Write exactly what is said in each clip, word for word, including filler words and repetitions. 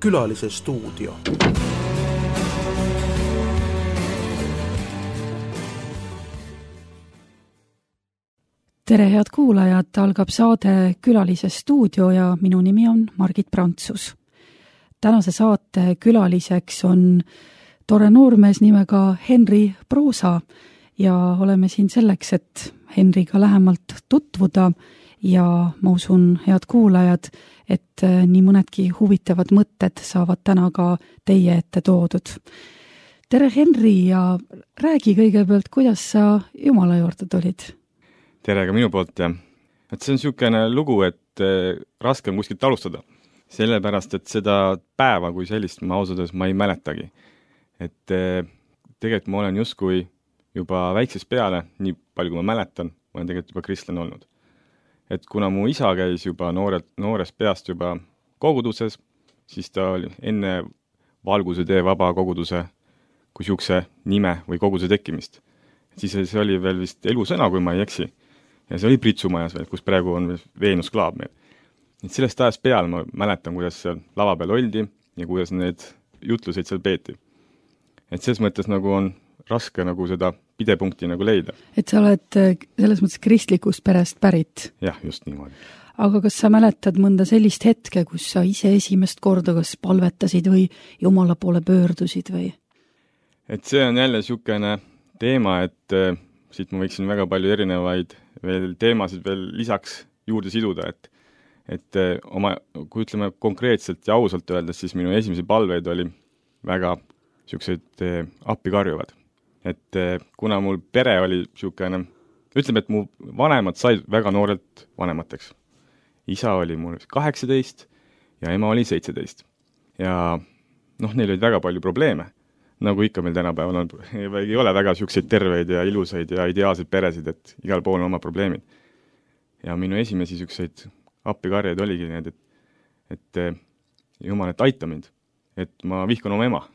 Külalise stuudio. Tere head kuulajad, algab saade Külalise stuudio ja minu nimi on Margit Prantsus. Tänase saate külaliseks on tore noormees nimega Henri Proosa ja oleme siin selleks, et Henriga lähemalt tutvuda ja ma usun, head kuulajad, et nii mõnedki huvitavad mõtted saavad täna ka teie ette toodud. Tere Henri ja räägi kõigepealt, kuidas sa Jumala juurde tulid? Tere ka minu poolt ja et see on niisugune lugu, et äh, raske on kuskilt alustada. Sellepärast, et seda päeva kui sellist ma ausades ma ei mäletagi. Et äh, tegelikult ma olen justkui juba väiksest peale, nii palju kui ma mäletan, ma olen tegelikult juba kristlane olnud. Et kuna mu isa käis juba nooret, noorest peast juba koguduses, siis ta oli enne Valguse tee vaba koguduse kui siukse nime või koguduse tekkimist. Et siis see oli veel vist elusõna, kui ma ei eksi. Ja see oli Pritsumajas veel, kus praegu on Veenus Klaab meil. Et sellest ajast peale ma mäletan, kuidas seal lava peal oldi ja kuidas need jutluseid seal peeti. Et selles mõttes nagu on raske nagu seda pidepunkti nagu leida. Et sa oled selles mõttes kristlikust perest pärit? Jah, just niimoodi. Aga kas sa mäletad mõnda sellist hetke, kus sa ise esimest korda kas palvetasid või Jumala poole pöördusid või? Et see on jälle niisugune teema, et äh, siit ma võiksin väga palju erinevaid veel teemasid veel lisaks juurde siduda, et, et äh, oma, kui ütleme konkreetselt ja ausalt öeldes, siis minu esimesi palveid oli väga niisugused äh, appikarjuvad. Et äh, kuna mul pere oli niisugune, ütleme, et mu vanemad said väga noorelt vanemateks. Isa oli mul kaheksateist ja ema oli seitseteist. Ja noh, neil olid väga palju probleeme. Nagu ikka meil tänapäeval on, ei ole väga siukseid terveid ja ilusaid ja ideaalseid peresid, et igal pool on oma probleemid. Ja minu esimesi siukseid appikarjeid oligi need, et, et Jumal, et aita mind, et ma vihkan oma ema.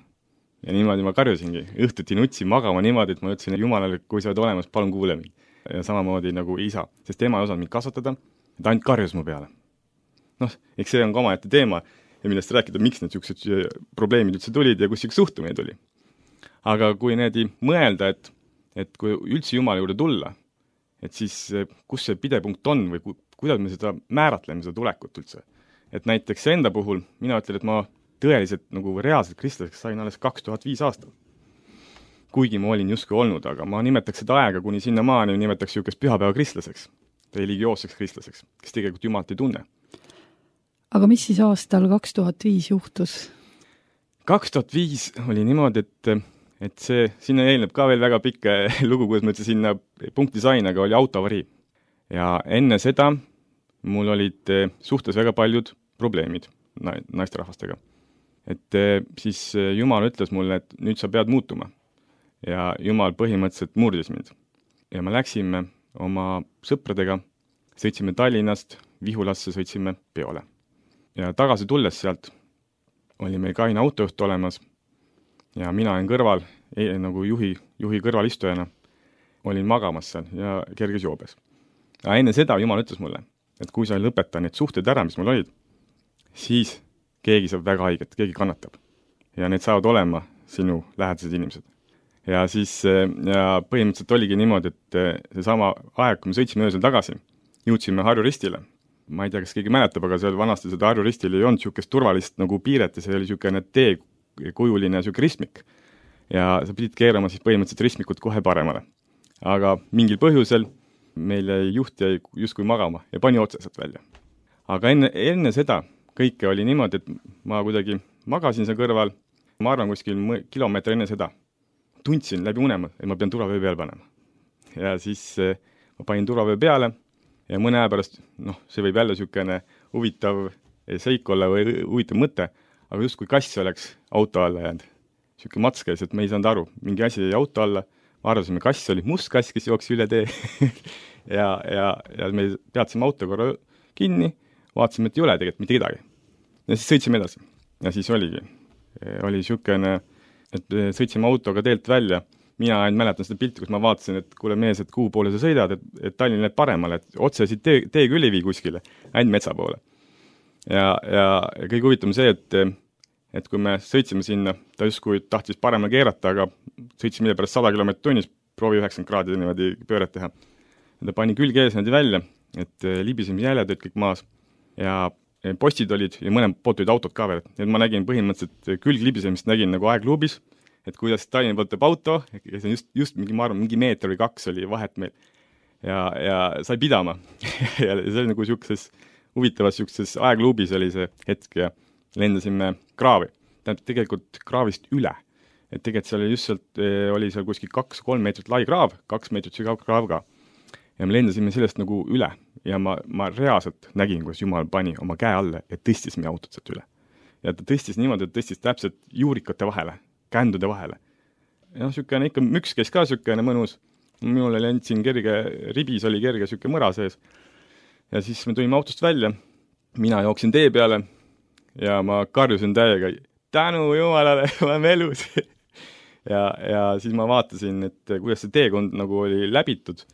Ja niimoodi ma karjusingi, õhtuti nutsi magama niimoodi, et ma ütlesin, et Jumalale, kui sa oled olemas, palun kuule mind. Ja samamoodi nagu isa, sest ema ei osanud mind kasvatada, et ainult karjus mu peale. Noh, eks see on ka omaette teema ja millest rääkida, miks need siuksed probleemid üldse tulid ja kus siuks suhtumine tuli. Aga kui need mõelda, et, et kui üldse Jumala juurde tulla, et siis kus see pidepunkt on või ku, kuidas me seda määratleme, seda tulekut üldse. Et näiteks enda puhul mina ütlen, et ma tõeliselt nagu reaalselt kristlaseks sain alles kaks tuhat viis aastal. Kuigi ma olin justkui olnud, aga ma nimetaks seda aega kuni sinna maani nimetaks siukest pühapäeva kristlaseks, religioosseks kristlaseks, kes tegelikult Jumalat ei tunne. Aga mis siis aastal kaks tuhat viis juhtus? kaks tuhat viis oli niimoodi, et et see, sinna eelneb ka veel väga pikk lugu, kuidas ma üldse sinna punkti sain, aga oli autoavarii. Ja enne seda mul olid suhtes väga paljud probleemid naisterahvastega. Et siis Jumal ütles mulle, et nüüd sa pead muutuma. Ja Jumal põhimõtteliselt murdis mind. Ja me läksime oma sõpradega, sõitsime Tallinnast, Vihulasse sõitsime peole. Ja tagasi tulles sealt oli meil kaine autojuht olemas ja mina olin kõrval, ei, nagu juhi, juhi kõrvalistujana, olin magamas seal ja kerges joobes. Ja enne seda Jumal ütles mulle, et kui sa ei lõpeta need suhted ära, mis mul olid, siis keegi saab väga haiget, keegi kannatab. Ja need saavad olema sinu lähedased inimesed. Ja siis ja põhimõtteliselt oligi niimoodi, et see sama aeg, kui me sõitsime öösel tagasi, jõudsime Harju Ristile. Ma ei tea, kas keegi mäletab, aga seal vanasti seda Harju Ristil ei olnud siukest turvalist nagu piiret ja see oli siukene teekujuline siuke ristmik. Ja sa pidid keerama siis põhimõtteliselt ristmikut kohe paremale. Aga mingil põhjusel meil jäi juht jäi justkui magama ja pani otseselt välja. Aga enne, enne seda kõike oli niimoodi, et ma kuidagi magasin seal kõrval, ma arvan kuskil kilomeetri enne seda. Tundsin läbi unema, et ma pean turvavöö peale panema. Ja siis ma panin turvavöö peale ja mõne aja pärast, noh, see võib jälle siukene huvitav seik olla või huvitav mõte, aga just kui kass oleks auto alla jäänud. Siuke mats käis, et me ei saanud aru. Mingi asi jäi auto alla, ma arvasime, kass oli must kass, kes jooksis üle tee. ja, ja, ja me peatsime auto korra kinni, vaatasime, et ei ole tegelikult mitte kedagi. Ja siis sõitsime edasi. Ja siis oligi. Oli siukene, et sõitsime autoga teelt välja. Mina ainult mäletan seda pilti, kus ma vaatasin, et kuule mees, et kuhu poole sa sõidad, et, et Tallinn läheb paremale, et otse siit tee, tee küll ei vii kuskile, ainult metsa poole. Ja, ja kõige huvitavam see, et et kui me sõitsime sinna, ta justkui tahtis paremale keerata, aga sõitsime mille pärast sada kilomeetrit tunnis, proovi üheksakümmend kraadi niimoodi pööret teha. Ja ta pani külge ees niimoodi välja, et libisime jäljed olid kõik maas ja postid olid ja mõne poolt olid autod ka veel. Et ma nägin põhimõtteliselt külglibisemist, nägin nagu aegluubis, et kuidas Tallinna poolt teeb auto, ja see on just, just mingi, ma arvan, mingi meeter või kaks oli vahet meil. Ja, ja sai pidama. ja see oli nagu siukses huvitavas siukses aegluubis oli see hetk ja lendasime kraavi. Tähendab tegelikult kraavist üle. Et tegelikult seal just sealt oli seal kuskil kaks kolm meetrit lai kraav, kaks meetrit sügav kraav ka. Ja me lendasime sellest nagu üle ja ma, ma reaalselt nägin, kus Jumal pani oma käe alle ja tõstis meie autot sealt üle. Ja ta tõstis niimoodi, et tõstis täpselt juurikate vahele, kändude vahele. Ja noh, sükene ikka müks käis ka sükene mõnus. Minul oli end siin kerge, ribis oli kerge süke mõra sees. Ja siis me tulime autost välja, mina jooksin tee peale ja ma karjusin täiega, tänu Jumalale, oleme elus. ja, ja siis ma vaatasin, et kuidas see teekond nagu oli läbitud.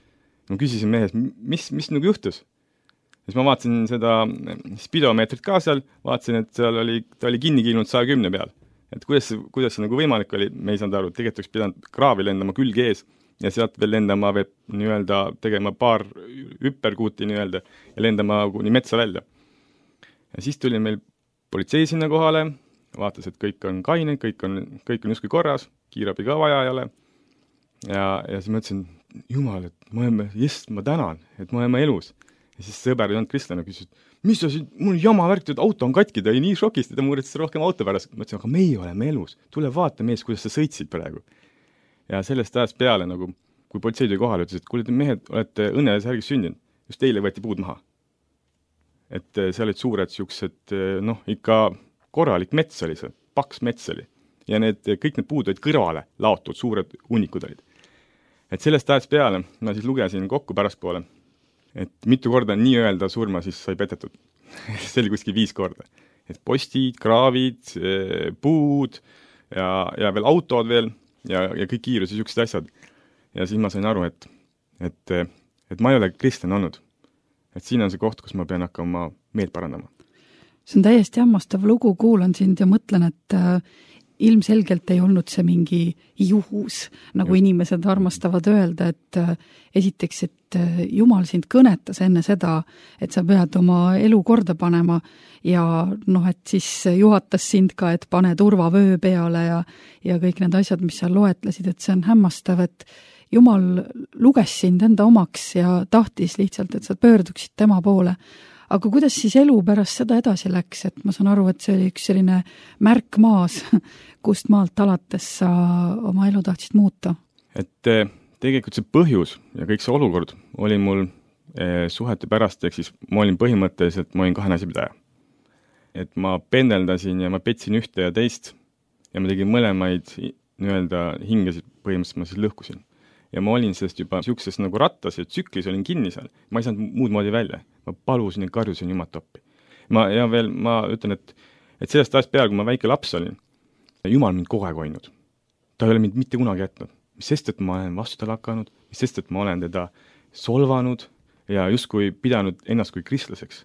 Ma küsisin mehes, mis, mis nagu juhtus? Ja siis ma vaatasin seda spidomeetrit ka seal, vaatasin, et seal oli, ta oli kinni kiilunud saja kümne peal. Et kuidas, kuidas see nagu võimalik oli, me ei saanud aru, tegelikult oleks pidanud kraavi lendama külge ees ja sealt veel lendama veel nii-öelda tegema paar hüpperkuuti nii-öelda ja lendama kuni metsa välja. Ja siis tuli meil politsei sinna kohale, vaatas, et kõik on kaine, kõik on, kõik on justkui korras, kiirabi ka vaja ei ole. Ja, ja siis ma ütlesin, Jumal, et ma oleme, jess, ma tänan, et ma oleme elus. Ja siis sõber Jan Kristlane küsis, mis sa siin, mul jama värk, et auto on katki, ta oli nii šokist, ta muuretas rohkem auto pärast. Ma ütlesin, aga meie oleme elus, tule vaata mees, kuidas sa sõitsid praegu. Ja sellest ajast peale, nagu, kui politsei tuli kohale, ütles, et kuule, te mehed olete õnneles härgis sündinud, just teile võeti puud maha. Et seal olid suured siuksed, noh, ikka korralik mets oli see, paks mets oli. Ja need, kõik need puud olid kõrvale laotud, suured unikud olid. Et sellest ajast peale ma siis lugesin kokku pärastpoole, et mitu korda nii öelda surma siis sai petetud. see oli kuskil viis korda. Et postid, kraavid, puud ja, ja veel autod veel ja, ja kõik kiirus ja siuksed asjad. Ja siis ma sain aru, et, et, et ma ei ole kristlane olnud. Et siin on see koht, kus ma pean hakkama meelt parandama. See on täiesti hämmastav lugu, kuulan sind ja mõtlen, et äh, ilmselgelt ei olnud see mingi juhus, nagu Just. Inimesed armastavad öelda, et äh, esiteks, et äh, Jumal sind kõnetas enne seda, et sa pead oma elu korda panema ja noh, et siis juhatas sind ka, et pane turvavöö peale ja, ja kõik need asjad, mis sa loetlesid, et see on hämmastav, et Jumal luges sind enda omaks ja tahtis lihtsalt, et sa pöörduksid tema poole. Aga kuidas siis elu pärast seda edasi läks, et ma saan aru, et see oli üks selline märk maas, kust maalt alates sa oma elu tahtsid muuta? Et tegelikult see põhjus ja kõik see olukord oli mul suhete pärast, ehk siis ma olin põhimõtteliselt, ma olin kahe naisipidaja. Et ma pendeldasin ja ma petsin ühte ja teist ja ma tegin mõlemaid nii-öelda hingesid põhimõtteliselt ma siis lõhkusin. Ja ma olin sellest juba siukses nagu rattas ja tsüklis olin kinni seal. Ma ei saanud muud moodi välja. Ma palusin ja karjusin Jumat toppi. Ma, ja veel ma ütlen, et, et sellest ajast peale, kui ma väike laps olin, Jumal mind kogu aeg hoidnud. Ta ei ole mind mitte kunagi jätnud. Mis sest, et ma olen vastu talle hakanud, mis sest, et ma olen teda solvanud ja justkui pidanud ennast kui kristlaseks.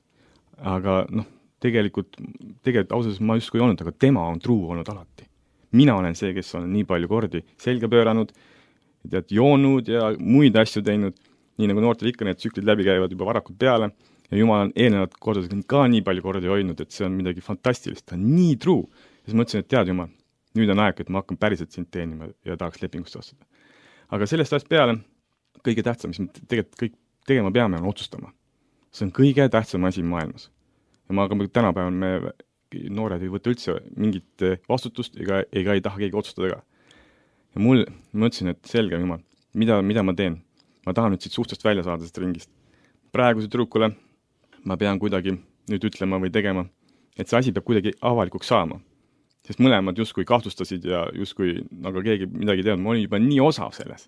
Aga noh, tegelikult, tegelikult ausalt ma justkui ei olnud, aga tema on truu olnud alati. Mina olen see, kes on nii palju kordi selga pööranud, tead, joonud ja muid asju teinud, nii nagu noortel ikka need tsüklid läbi käivad juba varakult peale ja Jumal on eelnevad kordadega ka nii palju kordi hoidnud, et see on midagi fantastilist, ta on nii truu. Ja siis mõtlesin, et tead Jumal, nüüd on aeg, et ma hakkan päriselt sind teenima ja tahaks lepingust ostuda. Aga sellest ajast peale kõige tähtsam, mis me tegelikult kõik tegema peame, on otsustama. See on kõige tähtsam asi maailmas. Ja ma aga tänapäeval me noored ei võta üldse mingit vastutust ega, ega ei taha keegi otsustada ka. Ja mul, ma ütlesin, et selge Jumal, mida, mida ma teen? Ma tahan nüüd siit suhtest välja saada sest ringist. Praeguse trukule ma pean kuidagi nüüd ütlema või tegema, et see asi peab kuidagi avalikuks saama. Sest mõlemad justkui kahtlustasid ja justkui aga keegi midagi teadnud. Ma olin juba nii osav selles.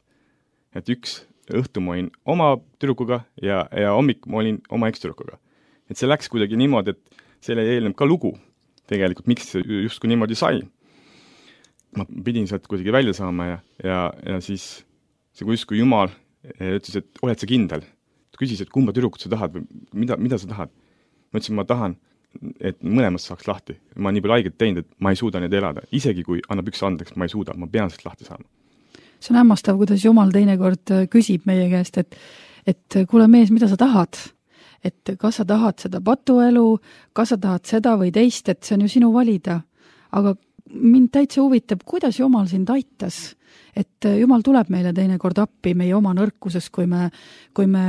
Et üks õhtu ma olin oma tüdrukuga ja, ja hommik ma olin oma ekstüdrukuga. Et see läks kuidagi niimoodi, et selle eelneb ka lugu tegelikult, miks see justkui niimoodi sai. Ma pidin sealt kuidagi välja saama ja, ja, ja siis see justkui Jumal ütles, et oled sa kindel. Ta küsis, et kumba tüdrukut sa tahad või mida, mida sa tahad. Ma ütlesin, ma tahan, et mõlemast saaks lahti. Ma olen nii palju haiget teinud, et ma ei suuda neid elada. Isegi kui annab üks andeks, ma ei suuda, ma pean sellest lahti saama. See on hämmastav, kuidas Jumal teinekord küsib meie käest, et, et kuule mees, mida sa tahad? Et kas sa tahad seda patuelu, kas sa tahad seda või teist, et see on ju sinu valida. Aga mind täitsa huvitab, kuidas Jumal sind aitas? Et Jumal tuleb meile teinekord appi meie oma nõrkuses, kui me, kui me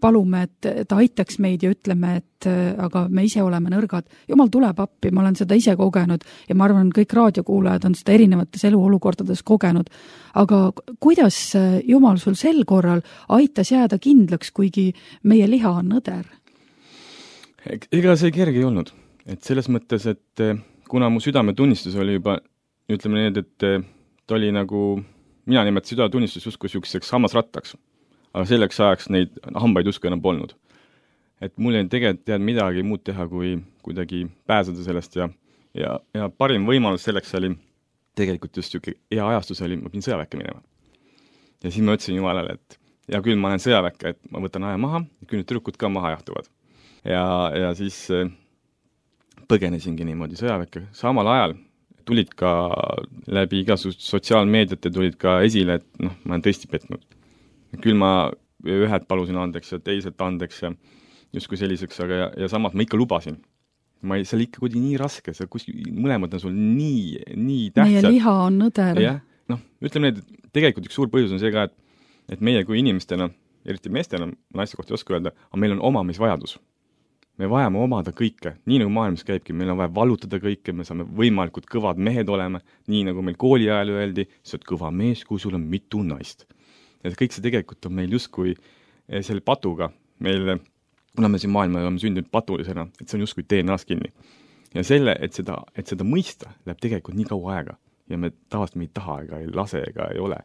palume, et ta aitaks meid ja ütleme, et aga me ise oleme nõrgad. Jumal tuleb appi, ma olen seda ise kogenud ja ma arvan, kõik raadiokuulajad on seda erinevates eluolukordades kogenud. Aga kuidas Jumal sul sel korral aitas jääda kindlaks, kuigi meie liha on nõder? Ega see kerge ei olnud. Et selles mõttes, et kuna mu südametunnistus oli juba, ütleme need, et ta oli nagu, mina nimetasin südametunnistus justkui sihukeseks hammasrattaks, aga selleks ajaks neid hambaid justkui enam polnud. Et mul ei tegelikult tead midagi muud teha, kui kuidagi pääseda sellest ja, ja, ja parim võimalus selleks oli tegelikult just sihuke hea ajastus oli, ma pidin sõjaväkke minema. Ja siis ma ütlesin Jumalale, et ja küll ma olen sõjaväkke, et ma võtan aja maha, küll nüüd tüdrukud ka maha jahtuvad. Ja, ja siis põgenesingi niimoodi sõjaväkke. Samal ajal tulid ka läbi igasugust sotsiaalmeediate tulid ka esile, et noh, ma olen tõesti petnud. Küll ma ühed palusin andeks ja teiselt andeks ja justkui selliseks, aga ja, ja samas ma ikka lubasin. Ma ei, see oli ikka kuidagi nii raske, see kuskil, mõlemad on sul nii, nii tähtsad. Meie liha on nõder. Ja, noh, ütleme need, tegelikult üks suur põhjus on see ka, et, et meie kui inimestena, eriti meestena, naiste kohta ei oska öelda, aga meil on omamisvajadus. Me vajame omada kõike, nii nagu maailmas käibki, meil on vaja valutada kõike, me saame võimalikult kõvad mehed olema, nii nagu meil kooli ajal öeldi, sa oled kõva mees, kui sul on mitu naist. Ja kõik see tegelikult on meil justkui selle patuga, meil, kuna me siin maailma oleme sündinud patulisena, et see on justkui D N A-s kinni. Ja selle, et seda, et seda mõista, läheb tegelikult nii kaua aega ja me tavaliselt me ei taha ega ei lase ega ei ole.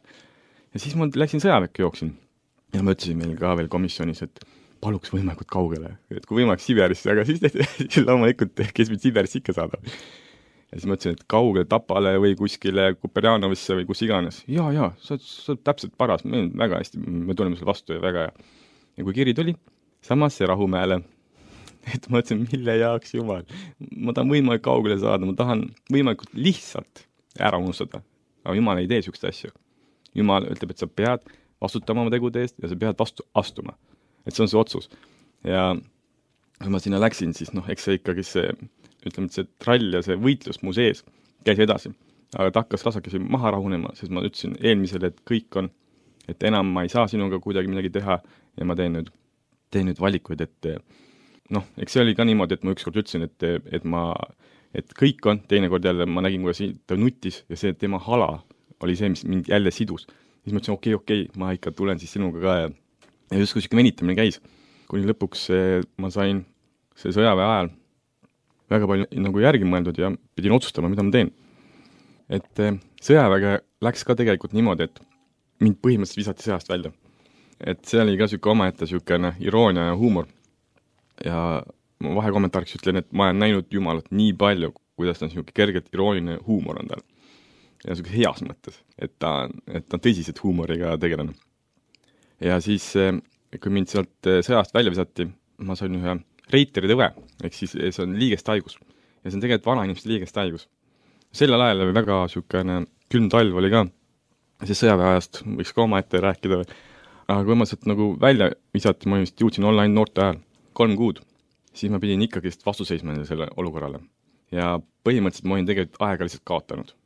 Ja siis ma läksin sõjaväkke jooksin ja ma ütlesin meil ka veel komisjonis, et paluks võimalikult kaugele, et kui võimalik Siberisse, aga siis, siis loomulikult, kes mind Siberisse ikka saadab. Ja siis mõtlesin, et kaugele Tapale või kuskile Kuperjanovisse või kus iganes. Ja, ja, sa, sa täpselt paras, me väga hästi, me tuleme selle vastu ja väga hea. Ja kui kiri tuli, samas see Rahumäele, et ma mõtlesin, mille jaoks Jumal. Ma tahan võimalikult kaugele saada, ma tahan võimalikult lihtsalt ära unustada. Aga Jumal ei tee sükst asju. Jumal ütleb, et sa pead vastutama oma tegude eest ja sa pead vastu astuma. Et see on see otsus. Ja kui ma sinna läksin, siis noh, eks see ikkagi see, ütleme, et see trall ja see võitlus mu sees käis edasi. Aga ta hakkas rasakesi maha rahunema, sest ma ütlesin eelmisele, et kõik on, et enam ma ei saa sinuga kuidagi midagi teha ja ma teen nüüd, teen nüüd valikuid, et noh, eks see oli ka niimoodi, et ma ükskord ütlesin, et, et ma, et kõik on, teinekord jälle ma nägin, kuidas ta nutis ja see tema hala oli see, mis mind jälle sidus. Siis ma ütlesin, okei, okei, ma ikka tulen siis sinuga ka ja Ja just kui venitamine käis, kuni lõpuks ma sain see sõjaväe ajal väga palju nagu järgi mõeldud ja pidin otsustama, mida ma teen. Et sõjaväge läks ka tegelikult niimoodi, et mind põhimõtteliselt visati sõjast välja. Et see oli ka süke omaette sükene iroonia ja huumor. Ja ma vahekommentaariks ütlen, et ma olen näinud Jumalat nii palju, kuidas ta on süke kergelt irooniline huumor on tal. Ja süke heas mõttes, et ta, et ta on tõsiselt huumoriga tegelane. Ja siis, kui mind sealt sõjast välja visati, ma sain ühe reiteri tõve, ehk siis see on liigest haigus. Ja see on tegelikult vana inimeste liigest haigus. Sellel ajal oli väga sükene külm talv oli ka, siis sõjaväeajast võiks ka oma ette rääkida. Aga kui ma sealt nagu välja visati, ma just jõudsin online noorte ajal kolm kuud, siis ma pidin ikkagi vastu seisma selle olukorrale. Ja põhimõtteliselt ma olin tegelikult aega lihtsalt kaotanud.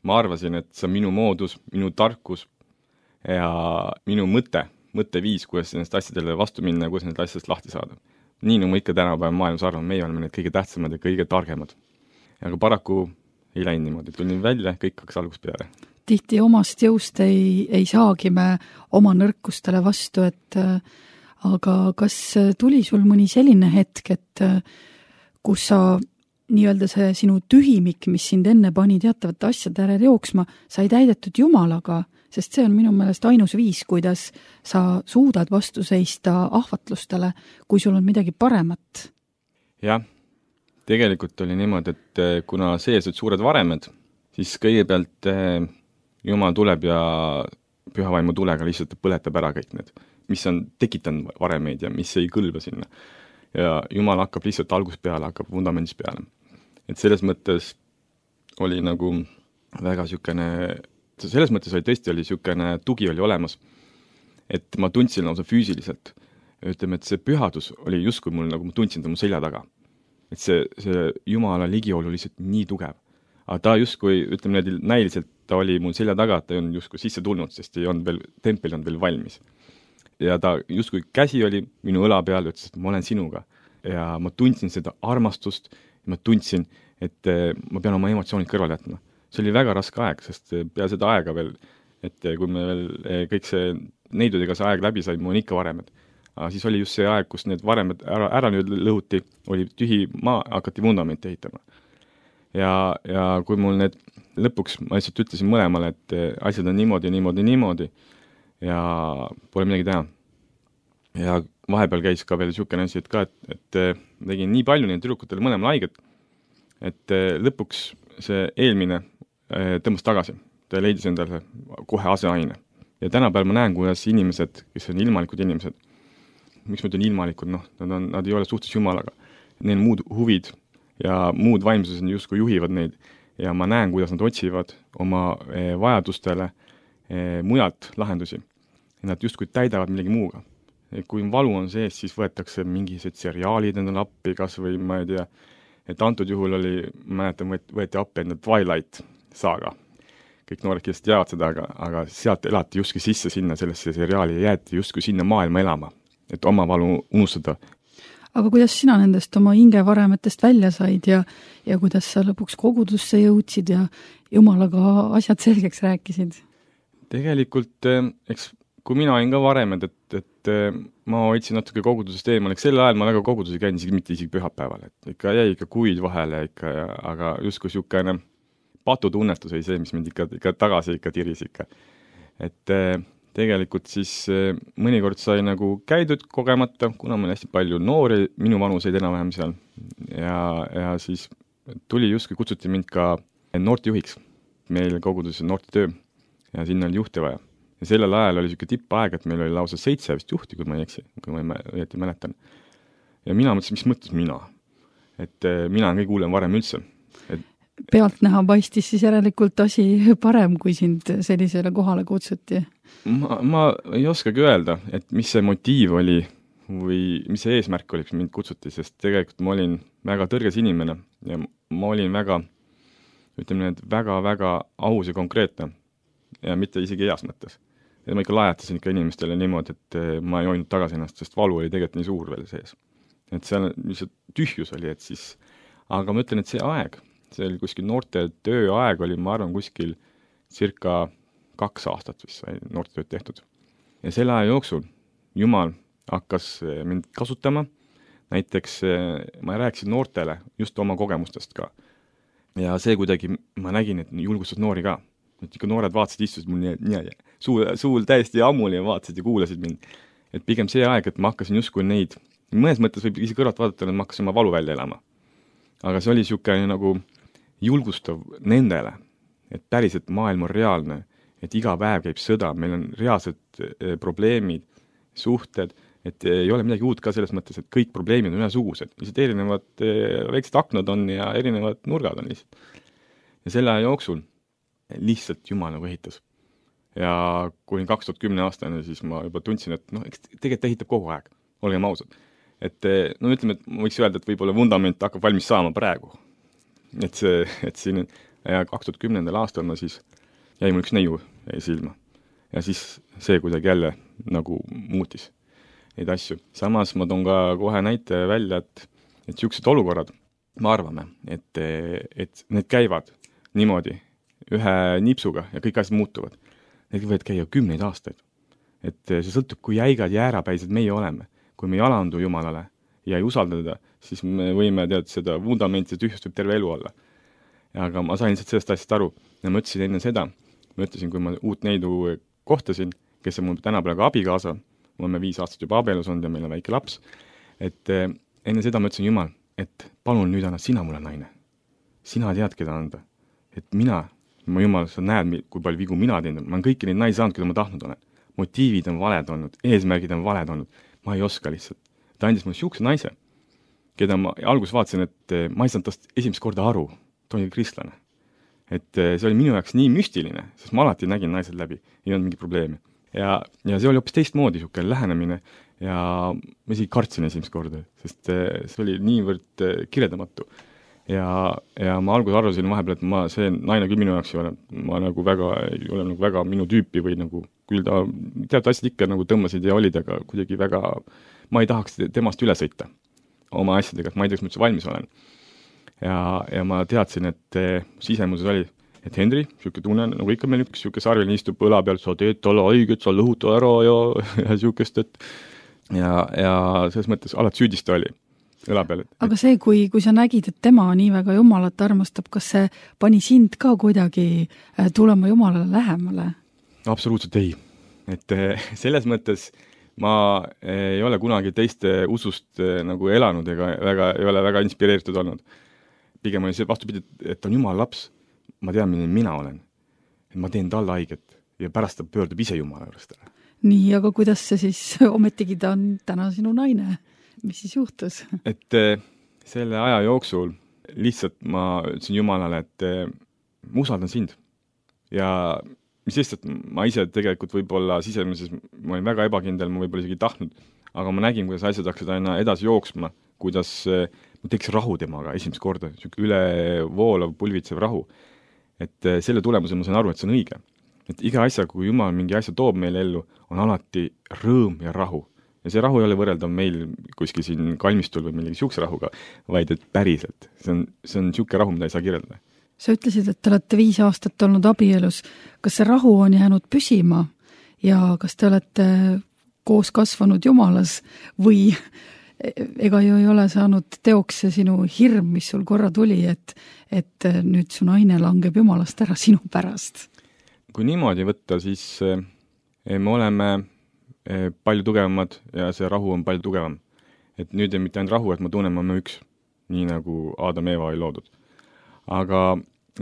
Ma arvasin, et see on minu moodus, minu tarkus, ja minu mõte, mõtteviis, kuidas nendest asjadele vastu minna ja kuidas nendest asjadest lahti saada. Nii nagu ma ikka tänapäeva maailmas arvan, meie oleme need kõige tähtsamad ja kõige targemad. Aga paraku ei läinud niimoodi, tulin välja, kõik hakkas algust peale. Tihti omast jõust ei, ei saagi me oma nõrkustele vastu, et aga kas tuli sul mõni selline hetk, et kus sa nii-öelda see sinu tühimik, mis sind enne pani teatavate asjade järel jooksma, sai täidetud Jumalaga, sest see on minu meelest ainus viis, kuidas sa suudad vastu seista ahvatlustele, kui sul on midagi paremat. Jah, tegelikult oli niimoodi, et kuna sees olid suured varemed, siis kõigepealt Jumal tuleb ja pühavaimu tulega lihtsalt põletab ära kõik need, mis on tekitanud varemeid ja mis ei kõlba sinna. ja Jumal hakkab lihtsalt algusest peale, hakkab vundamendist peale. Et selles mõttes oli nagu väga sükene, selles mõttes oli tõesti oli sükene tugi oli olemas, et ma tundsin lausa füüsiliselt. Ütleme, et see pühadus oli justkui mul, nagu ma tundsin ta mu selja taga. Et see, see Jumala ligiolu lihtsalt nii tugev. Aga ta justkui, ütleme need näiliselt, ta oli mul selja taga, et ta ei olnud justkui sisse tulnud, sest ei olnud veel, tempel on veel valmis. Ja ta justkui käsi oli minu õla peal, ütles, et ma olen sinuga. Ja ma tundsin seda armastust ja ma tundsin, et ma pean oma emotsioonid kõrvale jätma. See oli väga raske aeg, sest pea seda aega veel, et kui me veel kõik see neidudega see aeg läbi sai, mul on ikka varemed. Aga siis oli just see aeg, kus need varemed ära, ära nüüd lõhuti, oli tühi maa, hakati vundamenti ehitama. Ja, ja kui mul need lõpuks, ma lihtsalt ütlesin mõlemale, et asjad on niimoodi, niimoodi, niimoodi ja pole midagi teha. Ja vahepeal käis ka veel siukene asi, et ka, et, et tegin nii palju neid tüdrukutele mõlemal haiget, et lõpuks see eelmine tõmbas tagasi. Ta leidis endale kohe aseaine. Ja tänapäeval ma näen, kuidas inimesed, kes on ilmalikud inimesed, miks ma ütlen ilmalikud, noh, nad, on, nad ei ole suhtes Jumalaga. Neil muud huvid ja muud vaimsused justkui juhivad neid ja ma näen, kuidas nad otsivad oma eh, vajadustele eh, mujalt lahendusi. Ja nad justkui täidavad millegi muuga. Ja kui valu on sees, siis võetakse mingised seriaalid endale appi, kas või ma ei tea, et antud juhul oli, mäletan, võeti appi enda Twilight saaga. Kõik noored kindlasti teavad seda, aga, aga sealt elati justkui sisse sinna sellesse seriaali ja jäeti justkui sinna maailma elama, et oma valu unustada. Aga kuidas sina nendest oma hingevaremetest välja said ja, ja kuidas sa lõpuks kogudusse jõudsid ja Jumalaga asjad selgeks rääkisid? Tegelikult, eks kui mina olin ka varemed, et, et ma hoidsin natuke kogudusest eemal, eks sel ajal ma väga kogudusi käin, isegi mitte isegi pühapäeval, et ikka jäi ikka kuid vahele, ikka, aga justkui siukene patutunnetus oli see, mis mind ikka, ikka tagasi ikka tiris ikka. Et tegelikult siis mõnikord sai nagu käidud kogemata, kuna meil hästi palju noori, minu vanuseid enam-vähem seal. Ja, ja siis tuli justkui kutsuti mind ka noortejuhiks. Meil koguduses noortetöö ja sinna oli juhti vaja. Ja sellel ajal oli siuke tippaeg, et meil oli lausa seitse vist juhti, kui ma ei eksi, kui ma õieti mäletan. Ja mina mõtlesin, mis mõttes mina? Et mina on kõige hullem varem üldse. Et pealt näha paistis siis järelikult asi parem, kui sind sellisele kohale kutsuti? Ma, ma ei oskagi öelda, et mis see motiiv oli või mis see eesmärk oli, mis mind kutsuti, sest tegelikult ma olin väga tõrges inimene ja ma olin väga, ütleme need, väga-väga aus ja konkreetne ja mitte isegi heas mõttes. Ja ma ikka lajatasin ikka inimestele niimoodi, et ma ei hoidnud tagasi ennast, sest valu oli tegelikult nii suur veel sees. Et seal lihtsalt tühjus oli, et siis, aga ma ütlen, et see aeg, see oli kuskil noorte tööaeg oli, ma arvan, kuskil circa kaks aastat vist sai noortetööd tehtud. Ja selle aja jooksul Jumal hakkas mind kasutama, näiteks ma rääkisin noortele just oma kogemustest ka. Ja see kuidagi, ma nägin, et julgustas noori ka. Et ikka noored vaatasid, istusid mul nii, nii suul, suul täiesti ammuli ja vaatasid ja kuulasid mind. Et pigem see aeg, et ma hakkasin justkui neid, mõnes mõttes võib ise kõrvalt vaadata, et ma hakkasin oma valu välja elama. Aga see oli siukene nagu julgustav nendele, et päriselt maailm on reaalne, et iga päev käib sõda, meil on reaalsed probleemid, suhted, et ei ole midagi uut ka selles mõttes, et kõik probleemid on ühesugused. Lihtsalt erinevad väiksed aknad on ja erinevad nurgad on lihtsalt. Ja selle aja jooksul lihtsalt Jumal nagu ehitas. Ja kui kaks tuhat kümme aastane, siis ma juba tundsin, et noh, eks tegelikult ehitab kogu aeg, olgem ausad. Et no ütleme, et ma võiks öelda, et võib-olla vundament hakkab valmis saama praegu. Et see, et siin ja kaks tuhat kümnendal aastal ma siis jäi mul üks neiu silma. Ja siis see kuidagi jälle nagu muutis neid asju. Samas ma toon ka kohe näite välja, et, et siuksed olukorrad, ma arvame, et, et need käivad niimoodi ühe nipsuga ja kõik asjad muutuvad. Need võivad käia kümneid aastaid. Et see sõltub, kui jäigad ja äärapäised meie oleme. Kui me ei alandu Jumalale ja ei usaldada, siis me võime tead seda vundamenti tühjust võib terve elu olla. Aga ma sain sellest asjast aru ja ma ütlesin enne seda, ma ütlesin, kui ma uut neidu kohtasin, kes on mul tänapäeval ka abikaasa, me oleme viis aastat juba abielus olnud ja meil on väike laps, et enne seda ma ütlesin Jumal, et palun nüüd anna sina mulle naine. Sina tead, keda anda. Et mina, ma Jumal, sa näed, kui palju vigu mina teen, ma olen kõiki neid naisi saanud, keda ma tahtnud olen. Motiivid on valed olnud, eesmärgid on valed olnud, ma ei oska lihtsalt. Ta andis mulle siukse naise keda ma alguses vaatasin, et ma ei saanud tast esimest korda aru, ta oli kristlane. Et see oli minu jaoks nii müstiline, sest ma alati nägin naised läbi, ei olnud mingi probleemi. Ja, ja see oli hoopis teistmoodi niisugune lähenemine ja ma isegi kartsin esimest korda, sest see oli niivõrd kirjeldamatu. Ja, ja ma alguses arvasin vahepeal, et ma, see naine küll minu jaoks ei ole, ma nagu väga, ei ole nagu väga minu tüüpi või nagu küll ta teatud asjad ikka nagu tõmbasid ja olid, aga kuidagi väga, ma ei tahaks temast üle sõita oma asjadega, et ma ei tea, kas ma üldse valmis olen. Ja, ja ma teadsin, et sisemuses oli, et Henri, niisugune tunne, nagu ikka meil üks niisugune sarviline istub õla peal, sa teed talle õiget, sa lõhuta ära ja, ja niisugust, et ja, ja selles mõttes alati süüdista oli õla peal. Et, aga see, kui, kui sa nägid, et tema nii väga Jumalat armastab, kas see pani sind ka kuidagi tulema Jumalale lähemale? Absoluutselt ei. Et selles mõttes ma ei ole kunagi teiste usust nagu elanud ega väga, ei ole väga inspireeritud olnud. Pigem oli see vastupidi, et on Jumala laps, ma tean, milline mina olen. Et ma teen talle haiget ja pärast ta pöördub ise Jumala juurest. Nii, aga kuidas see siis ometigi ta on täna sinu naine? Mis siis juhtus? Et selle aja jooksul lihtsalt ma ütlesin Jumalale, et ma usaldan sind. Ja mis lihtsalt ma ise tegelikult võib-olla sisemises, ma olin väga ebakindel, ma võib-olla isegi tahtnud, aga ma nägin, kuidas asjad hakkasid aina edasi jooksma, kuidas ma teeks rahu temaga esimest korda, üle voolav, pulvitsev rahu. Et selle tulemusel ma sain aru, et see on õige. Et iga asja, kui Jumal mingi asja toob meile ellu, on alati rõõm ja rahu. Ja see rahu ei ole võrreldav meil kuskil siin kalmistul või millegi siukse rahuga, vaid et päriselt. See on, see on siuke rahu, mida ei saa kirjeldada. Sa ütlesid, et te olete viis aastat olnud abielus. Kas see rahu on jäänud püsima ja kas te olete koos kasvanud Jumalas või ega ju ei ole saanud teoks see sinu hirm, mis sul korra tuli, et, et nüüd su naine langeb Jumalast ära sinu pärast? Kui niimoodi võtta, siis me oleme palju tugevamad ja see rahu on palju tugevam. Et nüüd ei mitte ainult rahu, et ma tunnen, ma olen üks, nii nagu Adam ja Eva oli loodud. Aga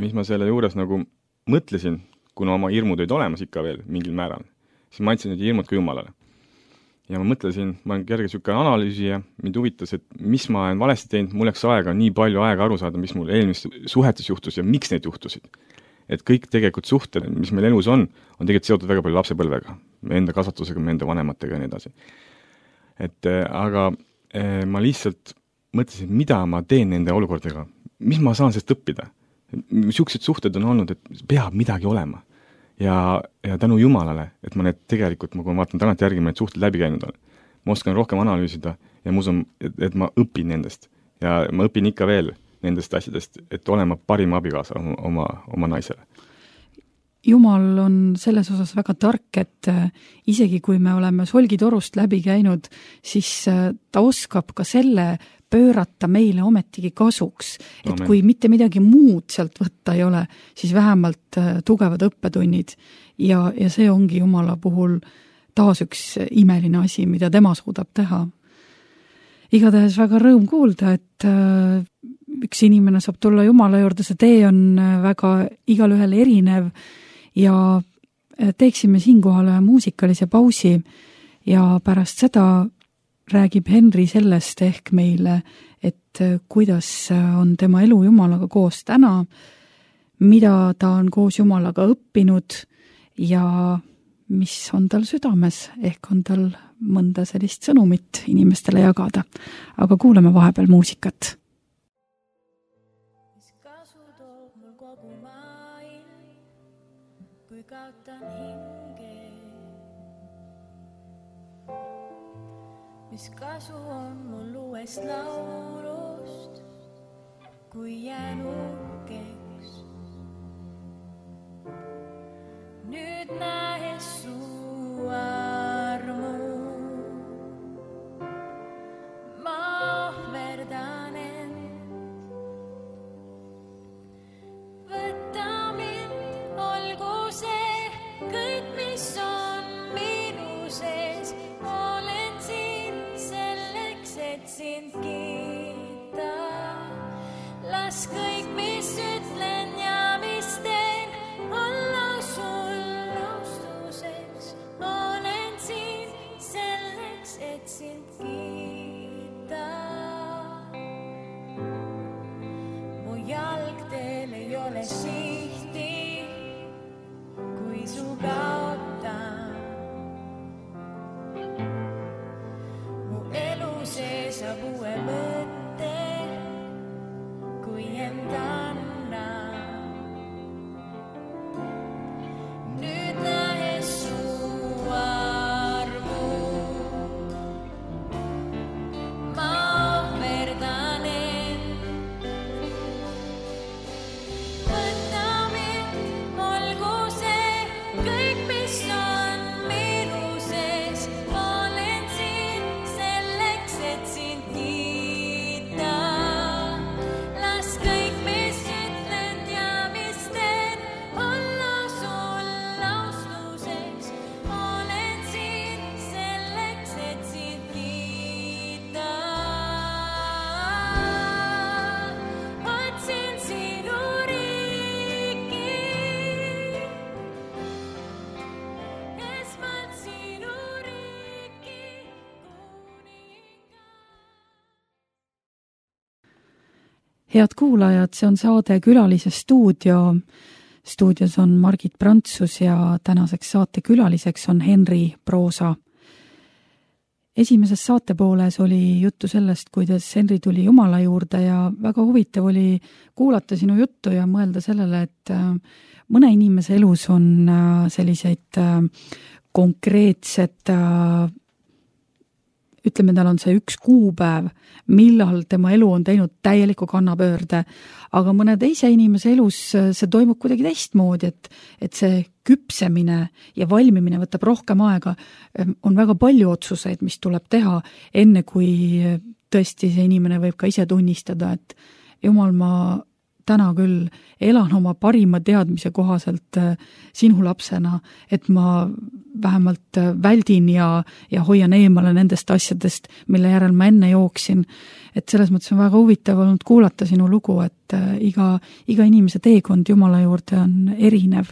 mis ma selle juures nagu mõtlesin, kuna oma hirmud olid olemas ikka veel mingil määral, siis ma andsin need hirmud ka Jumalale. Ja ma mõtlesin, ma olen kerge niisugune analüüsija, mind huvitas, et mis ma olen valesti teinud, mul läks aega, nii palju aega aru saada, mis mul eelmistes suhetes juhtus ja miks need juhtusid. Et kõik tegelikult suhted, mis meil elus on, on tegelikult seotud väga palju lapsepõlvega, me enda kasvatusega, me enda vanematega ja nii edasi. Et aga ma lihtsalt mõtlesin, mida ma teen nende olukordadega, mis ma saan sellest õppida. Siuksed suhted on olnud, et peab midagi olema. Ja, ja tänu Jumalale, et ma need tegelikult, kui ma vaatan tagant järgi, ma need suhted läbi käinud olen. Ma oskan rohkem analüüsida ja ma usun, et, et ma õpin nendest. Ja ma õpin ikka veel nendest asjadest, et olema parima abikaasa oma, oma naisele. Jumal on selles osas väga tark, et isegi kui me oleme solgitorust läbi käinud, siis ta oskab ka selle pöörata meile ometigi kasuks. Et Amen. Kui mitte midagi muud sealt võtta ei ole, siis vähemalt tugevad õppetunnid. Ja, ja see ongi Jumala puhul taas üks imeline asi, mida tema suudab teha. Igatahes väga rõõm kuulda, et üks inimene saab tulla Jumala juurde, see tee on väga igal ühel erinev ja teeksime siinkohal ühe muusikalise pausi ja pärast seda räägib Henri sellest ehk meile, et kuidas on tema elu Jumalaga koos täna, mida ta on koos Jumalaga õppinud ja mis on tal südames, ehk on tal mõnda sellist sõnumit inimestele jagada. Aga kuuleme vahepeal muusikat. Mis kasu toob mul kogu maailm, kui kaotan hinge? Mis kasu on mul uuest laulust, kui jään uhkeks? Nüüd näes su armu, ma ohverdan end. Võta mind, olgu see kõik, mis on minu sees. Olen siin selleks, et sind kiita. Las kõik, mis ütlen ja mis teen, olla sul austuseks. Olen siin selleks, et sind kiita. pole sihti, kui su kaotan. Mu elu see saab uue mõtte, kui enda anna. Nüüd lähes su armu, ma ohverdan end. Võta mind, olgu see kõik, mis on minu sees. Ma olen siin selleks, et sind kiita. Las kõik, mis ütlen ja mis teen, olla sul austuseks. Ma olen siin selleks, et sind kiita. Otsin sinu riiki, esmalt sinu riiki, kuninga. Head kuulajad, see on saade Külalise stuudio. Stuudios on Margit Prantsus ja tänaseks saate külaliseks on Henri Proosa. Esimeses saatepooles oli juttu sellest, kuidas Henri tuli Jumala juurde ja väga huvitav oli kuulata sinu juttu ja mõelda sellele, et äh, mõne inimese elus on äh, selliseid äh, konkreetsed äh, ütleme, tal on see üks kuupäev, millal tema elu on teinud täieliku kannapöörde, aga mõne teise inimese elus see toimub kuidagi teistmoodi, et, et see küpsemine ja valmimine võtab rohkem aega. On väga palju otsuseid, mis tuleb teha, enne kui tõesti see inimene võib ka ise tunnistada, et Jumal, ma täna küll elan oma parima teadmise kohaselt sinu lapsena, et ma vähemalt väldin ja, ja hoian eemale nendest asjadest, mille järel ma enne jooksin. Et selles mõttes on väga huvitav olnud kuulata sinu lugu, et iga, iga inimese teekond Jumala juurde on erinev.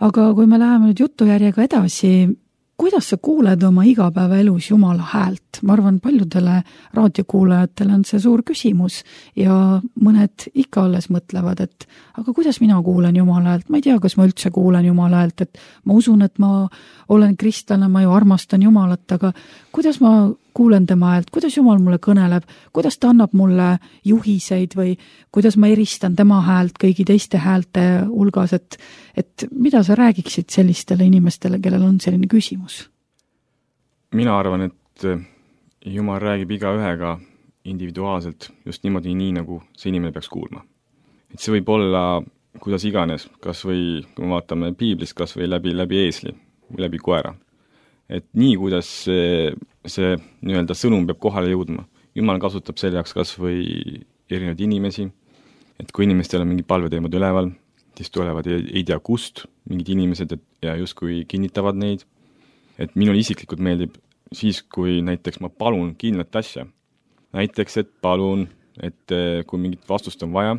Aga kui me läheme nüüd jutujärjega edasi, kuidas sa kuuled oma igapäevaelus Jumala häält? Ma arvan, paljudele raadiokuulajatele on see suur küsimus ja mõned ikka alles mõtlevad, et aga kuidas mina kuulen Jumala häält? Ma ei tea, kas ma üldse kuulen Jumala häält, et ma usun, et ma olen kristlane, ma ju armastan Jumalat, aga kuidas ma kuulen tema häält, kuidas Jumal mulle kõneleb, kuidas ta annab mulle juhiseid või kuidas ma eristan tema häält kõigi teiste häälte hulgas, et, et mida sa räägiksid sellistele inimestele, kellel on selline küsimus? Mina arvan, et Jumal räägib iga ühega individuaalselt, just niimoodi nii, nagu see inimene peaks kuulma. Et see võib olla kuidas iganes, kas või, kui me vaatame piiblist, kas või läbi, läbi eesli või läbi koera. Et nii, kuidas see, see nii-öelda sõnum peab kohale jõudma. Jumal kasutab selle jaoks kas või erinevaid inimesi, et kui inimestel on mingi palveteemad üleval, siis tulevad ei, ei tea kust mingid inimesed et, ja justkui kinnitavad neid. Et minul isiklikult meeldib siis, kui näiteks ma palun kindlat asja. Näiteks, et palun, et kui mingit vastust on vaja,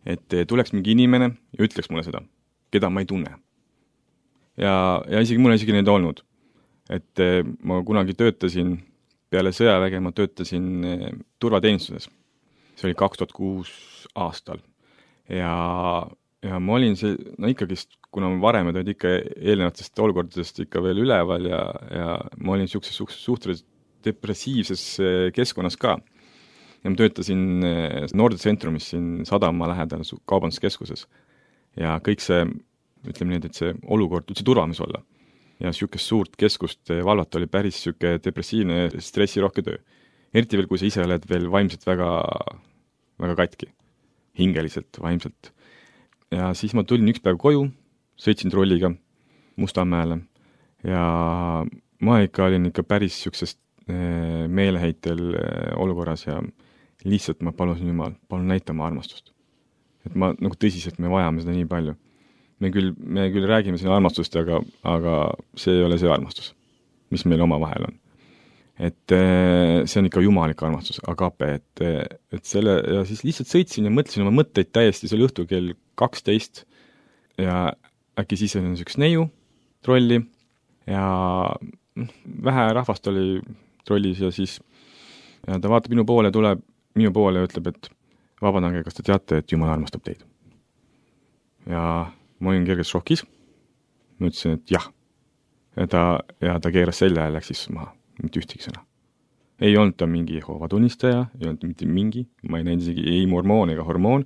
et tuleks mingi inimene ja ütleks mulle seda, keda ma ei tunne. Ja, ja isegi mul on isegi neid olnud. Et ma kunagi töötasin peale sõjaväge, ma töötasin turvateenistuses. See oli kaks tuhat kuus aastal. Ja, ja ma olin see, no ikkagist, kuna ma varem olid ikka eelnevatest olukordadest ikka veel üleval ja, ja ma olin suhteliselt suhteliselt depressiivses keskkonnas ka. Ja ma töötasin Nordcentrumis siin Sadama lähedal kaubanduskeskuses. Ja kõik see, ütleme nii, et see olukord üldse turvamis olla. Ja siukest suurt keskust valvata oli päris siuke depressiivne, stressirohke töö. Eriti veel, kui sa ise oled veel vaimselt väga, väga katki. Hingeliselt, vaimselt. Ja siis ma tulin üks päev koju, sõitsin trolliga Mustamäele ja ma ikka olin ikka päris siuksest meeleheitel olukorras ja lihtsalt ma palusin Jumal, palun näita ma armastust. Et ma nagu tõsiselt me vajame seda nii palju. Me küll, me küll räägime siin armastust, aga, aga see ei ole see armastus, mis meil oma vahel on. Et see on ikka jumalik armastus, agape, et, et selle, ja siis lihtsalt sõitsin ja mõtlesin oma mõtteid täiesti, see oli õhtul kell kaksteist ja äkki siis on üks neiu trolli ja vähe rahvast oli trollis ja siis ja ta vaatab minu poole, tuleb minu poole ja ütleb, et vabandage, kas te teate, et Jumal armastab teid. ja ma olin kergelt šokis, ma ütlesin, et jah. Ja ta, ja ta keeras selja ja läks siis maha, mitte ühtegi sõna. Ei olnud ta mingi Jehoova tunnistaja, ei olnud mitte mingi, ma ei näinud isegi ei mormoon ega hormoon,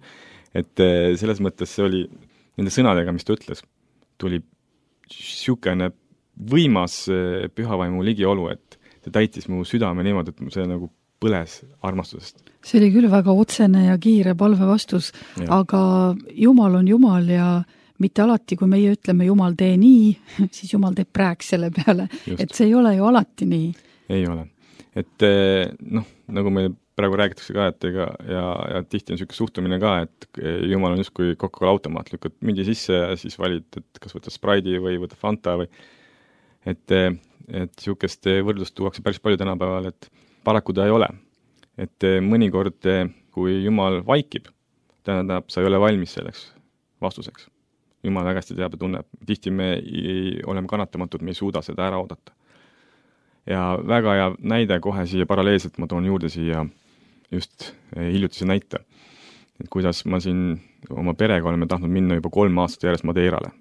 et selles mõttes see oli nende sõnadega, mis ta ütles, tuli siukene võimas pühavaimu ligiolu, et see täitis mu südame niimoodi, et see nagu põles armastusest. See oli küll väga otsene ja kiire palve vastus, ja. Aga Jumal on Jumal ja mitte alati, kui meie ütleme Jumal tee nii, siis Jumal teeb rääks selle peale. Just. Et see ei ole ju alati nii. Ei ole. Et noh, nagu me praegu räägitakse ka, et ega, ja, ja tihti on selline suhtumine ka, et Jumal on just kui Coca-Cola automaat, lükkad mündi sisse ja siis valid, et kas võtta Sprite'i või võtta Fanta või et, et sihukest võrdlust tuuakse päris palju tänapäeval, et paraku ta ei ole. Et mõnikord, kui Jumal vaikib, tähendab, sa ei ole valmis selleks vastuseks. Jumal väga hästi teab ja tunneb. Tihti me ei, oleme kannatamatud, me ei suuda seda ära oodata. Ja väga hea näide kohe siia paralleelselt ma toon juurde siia just hiljutise näite. Et kuidas ma siin oma perega oleme tahtnud minna juba kolm aastat järjest Madeirale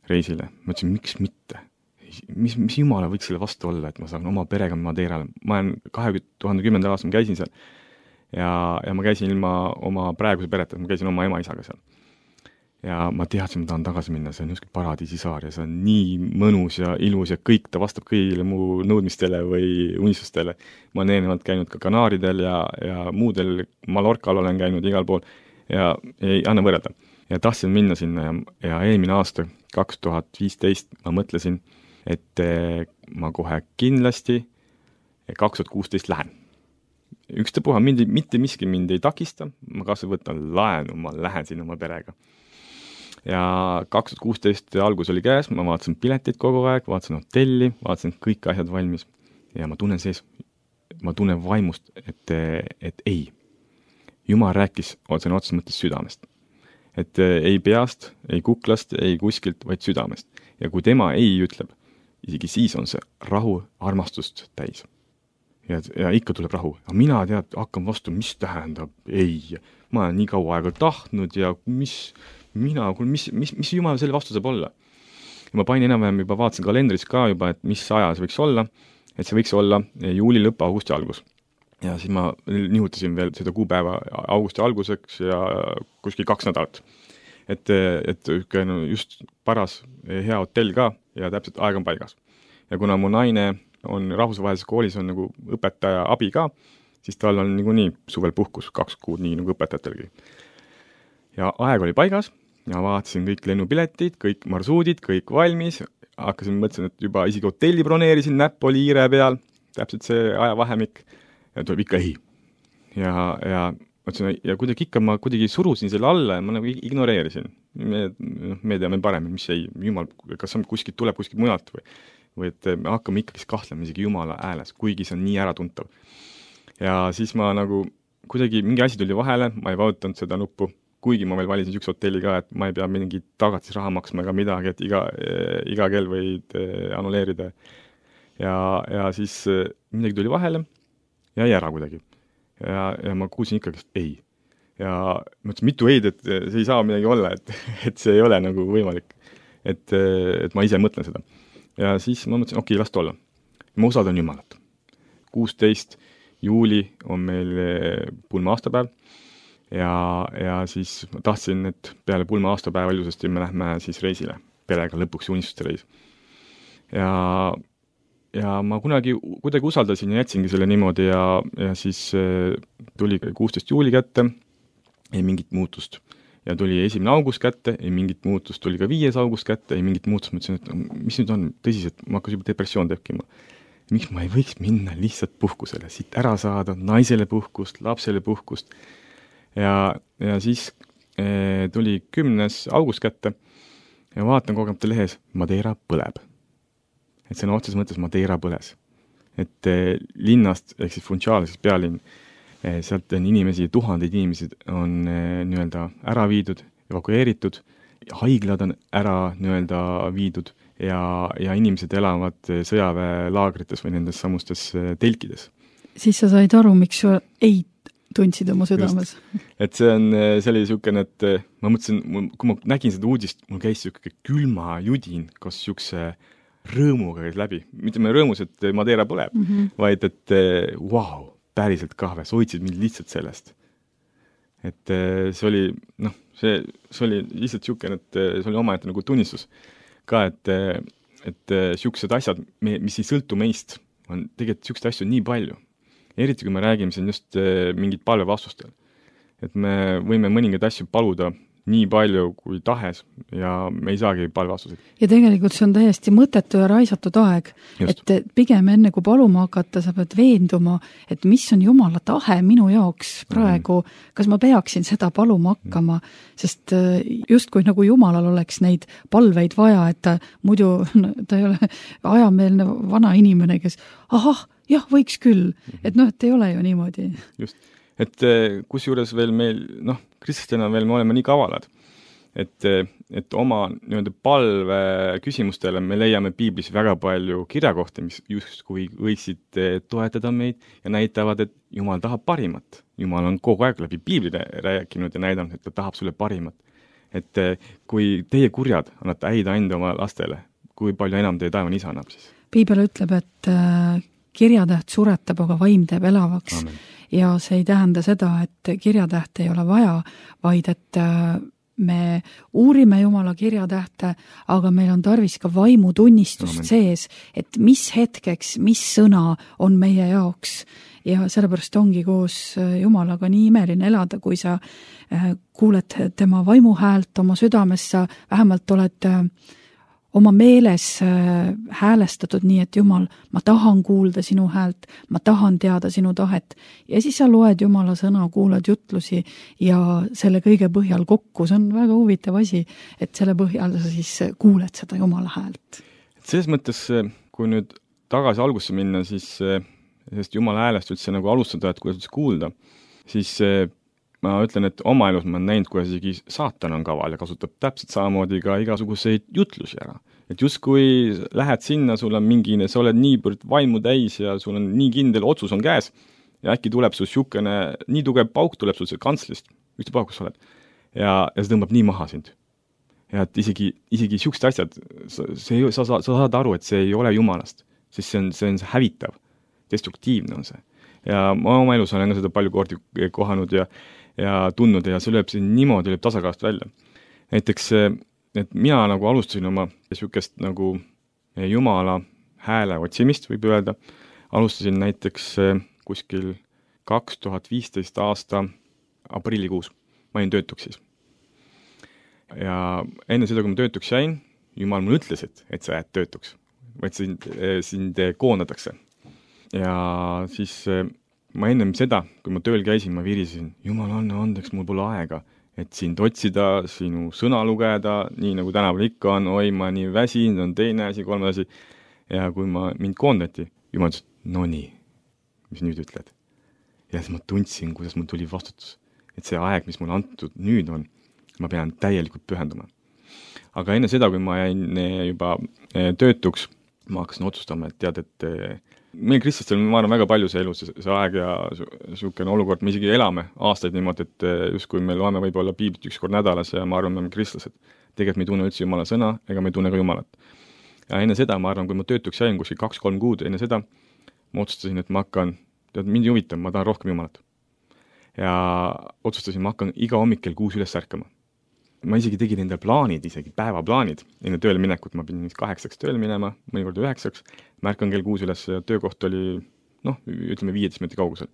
reisile. Ma ütlesin, miks mitte? Mis, mis Jumala võiks selle vastu olla, et ma saan oma perega Madeirale. Ma olen kahe tuhande kümnendal aastal, ma käisin seal ja, ja ma käisin ilma oma praeguse pereta, ma käisin oma ema-isaga seal. Ja ma teadsin, ma tahan tagasi minna, see on just paradiisisaar ja see on nii mõnus ja ilus ja kõik, ta vastab kõigile mu nõudmistele või unistustele. Ma olen eelnevalt käinud ka Kanaaridel ja, ja muudel Mallorcal olen käinud igal pool ja ei anna võrrelda. Ja tahtsin minna sinna ja, ja eelmine aasta, kaks tuhat viisteist, ma mõtlesin, et ma kohe kindlasti kaks tuhat kuusteist lähen. Ükste puha, mind, mitte miski mind ei takista, ma kasvõi võtan laenu, ma lähen sinna oma perega. Ja kaks tuhat kuusteist algus oli käes, ma vaatasin piletit kogu aeg, vaatasin hotelli, vaatasin kõik asjad valmis ja ma tunnen sees, ma tunnen vaimust, et, et ei. Jumal rääkis otsene otses mõttes südamest. Et ei peast, ei kuklast, ei kuskilt, vaid südamest. Ja kui tema ei ütleb, isegi siis on see rahu armastust täis. Ja, ja ikka tuleb rahu. Ja mina tead, hakkan vastu, mis tähendab ei. Ma olen nii kaua aega tahtnud ja mis... mina, mis, mis, mis Jumal selle vastu saab olla. Ja ma panin enam-vähem juba vaatasin kalendris ka juba, et mis aja see võiks olla, et see võiks olla juuli lõpp, augusti algus. Ja siis ma nihutasin veel seda kuupäeva augusti alguseks ja kuskil kaks nädalat. Et, et just paras hea hotell ka ja täpselt aeg on paigas. Ja kuna mu naine on rahvusvahelises koolis on nagu õpetaja abi ka, siis tal on nagu nii suvel puhkus kaks kuud nii nagu õpetajatelgi. Ja aeg oli paigas ja vaatasin kõik lennupiletid, kõik marsuudid, kõik valmis. Hakkasin mõtlesin, et juba isegi hotelli broneerisin, näpp oli iire peal, täpselt see ajavahemik ja tuleb ikka ei. Ja, ja, mõtlesin, ja kuidagi ikka ma kuidagi surusin selle alla ja ma nagu ignoreerisin. Me, me teame paremini, mis ei, Jumal, kas kuskilt tuleb kuskilt mujalt või, või et me hakkame ikkagi kahtlema isegi Jumala ääles, kuigi see on nii äratuntav. Ja siis ma nagu kuidagi mingi asi tuli vahele, ma ei vautanud seda nuppu, kuigi ma veel valisin üks hotelli ka, et ma ei pea mingi tagatis raha maksma ega midagi, et iga, iga kell võid annuleerida. Ja, ja siis midagi tuli vahele ja jäi ära kuidagi. Ja, ja ma kuulsin ikkagi, et ei. Ja ma ütlesin mitu eid, et see ei saa midagi olla, et, et see ei ole nagu võimalik. Et, et ma ise mõtlen seda. Ja siis ma mõtlesin, okei, last olla. Ma usaldan Jumalat. kuusteist juuli on meil pulma aastapäev. Ja, ja siis ma tahtsin, et peale pulma aastapäeva ilusasti me lähme siis reisile, perega lõpuks unistuste reis. Ja, ja ma kunagi, kuidagi usaldasin ja jätsingi selle niimoodi ja, ja siis tuli kuusteist juuli kätte, ei mingit muutust. Ja tuli esimene august kätte, ei mingit muutust, tuli ka viies august kätte, ei mingit muutust. Ma ütlesin, et mis nüüd on tõsiselt, ma hakkas juba depressioon tekkima. Miks ma ei võiks minna lihtsalt puhkusele, siit ära saada, naisele puhkust, lapsele puhkust. Ja, ja siis e, tuli kümnes august kätte ja vaatan kogemata lehes, Madeira põleb. Et see on otses mõttes Madeira põles. Et e, linnast, ehk siis Funchal, siis pealinn, e, sealt on inimesi, tuhandeid inimesed on e, nii-öelda ära viidud, evakueeritud, haiglad on ära nii-öelda viidud ja, ja inimesed elavad sõjaväelaagrites või nendes samustes telkides. Siis sa said aru, miks ei tundsid oma südames. et see on, see oli niisugune, et ma mõtlesin, kui ma nägin seda uudist, mul käis niisugune külma judin, kas niisuguse rõõmuga käis läbi. mitte me rõõmus, et Madeira põleb, mm -hmm. vaid et vau, wow, päriselt kahve, sa hoidsid mind lihtsalt sellest. et see oli, noh, see, see oli lihtsalt niisugune, et see oli omaette nagu tunnistus ka, et, et niisugused asjad, mis ei sõltu meist, on tegelikult niisuguseid asju nii palju. Eriti kui me räägime siin just mingit palvevastustel. Et me võime mõningaid asju paluda nii palju kui tahes ja me ei saagi palvevastuseid. Ja tegelikult see on täiesti mõttetu ja raisatud aeg. Just. Et pigem enne kui paluma hakata, sa pead veenduma, et mis on Jumala tahe minu jaoks praegu, mm. kas ma peaksin seda paluma hakkama, mm. sest just kui nagu Jumalal oleks neid palveid vaja, et ta muidu no, ta ei ole ajameelne vana inimene, kes ahah, jah, võiks küll. Et noh, et ei ole ju niimoodi. Just. Et kus juures veel meil, noh, kristlasena veel me oleme nii kavalad, et, et oma nii-öelda palve küsimustele me leiame piiblis väga palju kirjakohti, mis justkui võiksid toetada meid ja näitavad, et Jumal tahab parimat. Jumal on kogu aeg läbi piiblile rääkinud ja näidanud, et ta tahab sulle parimat. Et kui teie kurjad annate häid ande oma lastele, kui palju enam teie taevane isa annab siis? Piibel ütleb, et kirjatäht suretab, aga vaim teeb elavaks. Amen. Ja see ei tähenda seda, et kirjatähte ei ole vaja, vaid et me uurime Jumala kirjatähte, aga meil on tarvis ka vaimutunnistust Amen. Sees, et mis hetkeks, mis sõna on meie jaoks. Ja sellepärast ongi koos Jumalaga nii imeline elada, kui sa kuuled tema vaimuhäält oma südamessa, vähemalt oled oma meeles häälestatud nii, et Jumal, ma tahan kuulda sinu häält, ma tahan teada sinu tahet. Ja siis sa loed Jumala sõna, kuulad jutlusi ja selle kõige põhjal kokku. See on väga huvitav asi, et selle põhjal sa siis kuuled seda Jumala häält. Selles mõttes, kui nüüd tagasi algusse minna, siis sest Jumala häälest üldse nagu alustada, et kuidas kuulda, siis ma ütlen, et oma elus ma olen näinud, kuidas isegi saatan on kaval ja kasutab täpselt samamoodi ka igasuguseid jutlusi ära. Et just kui lähed sinna, sul on mingine, sa oled nii vaimu täis ja sul on nii kindel otsus on käes ja äkki tuleb sul siukene, nii tugev pauk tuleb sul see kantslist, üksta pauk, kus sa oled, ja, ja see tõmbab nii maha sind. Ja et isegi, isegi siuksed asjad, see, sa, sa, sa saad aru, et see ei ole Jumalast, sest see on, see on hävitav, destruktiivne on see. Ja ma oma elus olen ka seda palju kordi kohanud ja ja tundnud ja see lööb siin niimoodi lööb tasakaalust välja. Näiteks, et mina nagu alustasin oma niisugust nagu Jumala hääle otsimist, võib öelda. Alustasin näiteks kuskil kaks tuhat viisteist aasta aprillikuus. Ma olin töötuks siis. Ja enne seda, kui ma töötuks jäin, Jumal mulle ütles, et, et sa jääd töötuks. Vaid sind, sind koondatakse. Ja siis ma ennem seda, kui ma tööl käisin, ma virisin, Jumal anna andeks, mul pole aega, et sind otsida, sinu sõna lugeda, nii nagu tänaval ikka on, oi, ma nii väsin, on teine asi, kolme asi. Ja kui ma mind koondati, Jumal ütles, no nii, mis nüüd ütled? Ja siis ma tundsin, kuidas mul tuli vastutus, et see aeg, mis mulle antud nüüd on, ma pean täielikult pühenduma. Aga enne seda, kui ma jäin juba töötuks, ma hakkasin otsustama, et tead, et meil kristlastel, ma arvan, väga palju see elus, see aeg ja niisugune olukord, me isegi elame aastaid niimoodi, et just kui me loeme võib-olla piiblit üks kord nädalas ja ma arvan, me oleme kristlased. Tegelikult me ei tunne üldse Jumala sõna ega me ei tunne ka Jumalat. Ja enne seda, ma arvan, kui ma töötuks jäin kuskil kaks-kolm kuud, enne seda ma otsustasin, et ma hakkan, tead, mind juvitab, ma tahan rohkem Jumalat. Ja otsustasin, ma hakkan iga hommikkel kuus üles ärkama. Ma isegi tegin enda plaanid, isegi päevaplaanid. Enne tööle minekut ma pidin kaheksaks tööle minema, mõnikord üheksaks. Ma ärkan kell kuus üles ja töökoht oli, noh, ütleme viieteist minuti kaugusel.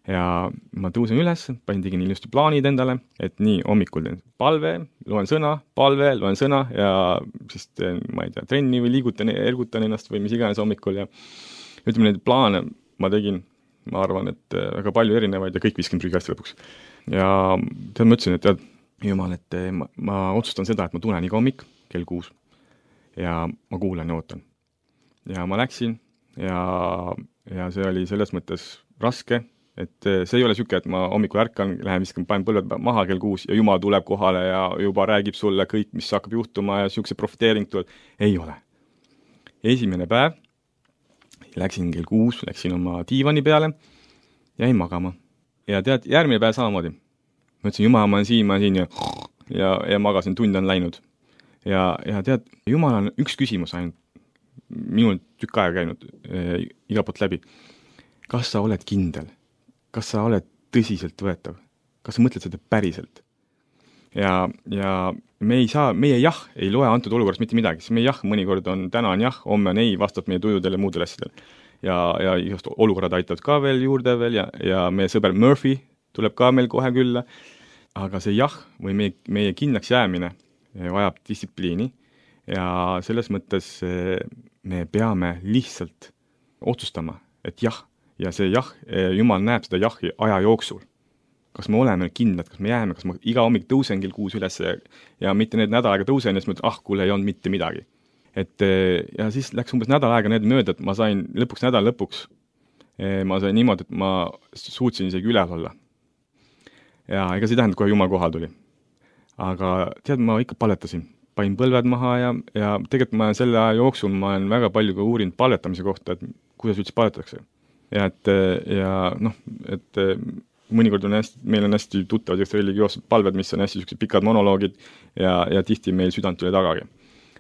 Ja ma tõusen üles, panin tegin ilusti plaanid endale, et nii hommikul teen palve, loen sõna, palve, loen sõna ja siis teen, ma ei tea, trenni või liigutan, ergutan ennast või mis iganes hommikul ja ütleme, neid plaane ma tegin, ma arvan, et väga palju erinevaid ja kõik viskin prügikasti lõpuks. Ja tead, ma ütlesin, et tead, Jumal, et ma, ma otsustan seda, et ma tulen iga hommik kell kuus ja ma kuulan ja ootan. Ja ma läksin ja, ja see oli selles mõttes raske, et see ei ole siuke, et ma hommikul ärkan, lähen viskan, panen põlved maha kell kuus ja Jumal tuleb kohale ja juba räägib sulle kõik, mis hakkab juhtuma ja siukse profiteering tuleb. Ei ole. Esimene päev läksin kell kuus, läksin oma diivani peale, jäin magama. ja tead, järgmine päev samamoodi. Ma ütlesin, Jumal, ma olen siin, ma olen siin ja, ja, ja magasin, tund on läinud. Ja, ja tead, Jumal on üks küsimus ainult minul tükk aega käinud e, iga poolt läbi. Kas sa oled kindel? Kas sa oled tõsiselt võetav? Kas sa mõtled seda päriselt? Ja, ja me ei saa, meie jah ei loe antud olukorras mitte midagi, siis meie jah mõnikord on, täna on jah, homme on ei, vastab meie tujudele ja muudele asjadele. Ja, ja just olukorrad aitavad ka veel juurde veel ja, ja meie sõber Murphy tuleb ka meil kohe külla, aga see jah või meie, meie kindlaks jäämine vajab distsipliini ja selles mõttes me peame lihtsalt otsustama, et jah, ja see jah, Jumal näeb seda jahi aja jooksul. Kas me oleme kindlad, kas me jääme, kas ma iga hommik tõusen kell kuus üles ja, ja mitte need nädal aega tõusen ja siis mõtlen, ah, kuule ei olnud mitte midagi. Et, ja siis läks umbes nädal aega need mööda, et ma sain lõpuks nädal lõpuks, ma sain niimoodi, et ma suutsin isegi üles olla. Ja ega see tähendab, kohe Jumal kohal tuli. Aga tead, ma ikka paletasin. Pain põlved maha ja, ja tegelikult ma selle aja jooksul ma olen väga palju ka uurinud paletamise kohta, et kuidas üldse paletatakse. Ja, et, ja noh, et mõnikord on hästi, meil on hästi tuttavad religioossed palved, mis on hästi sellised pikad monoloogid ja, ja tihti meil südant üle tagagi.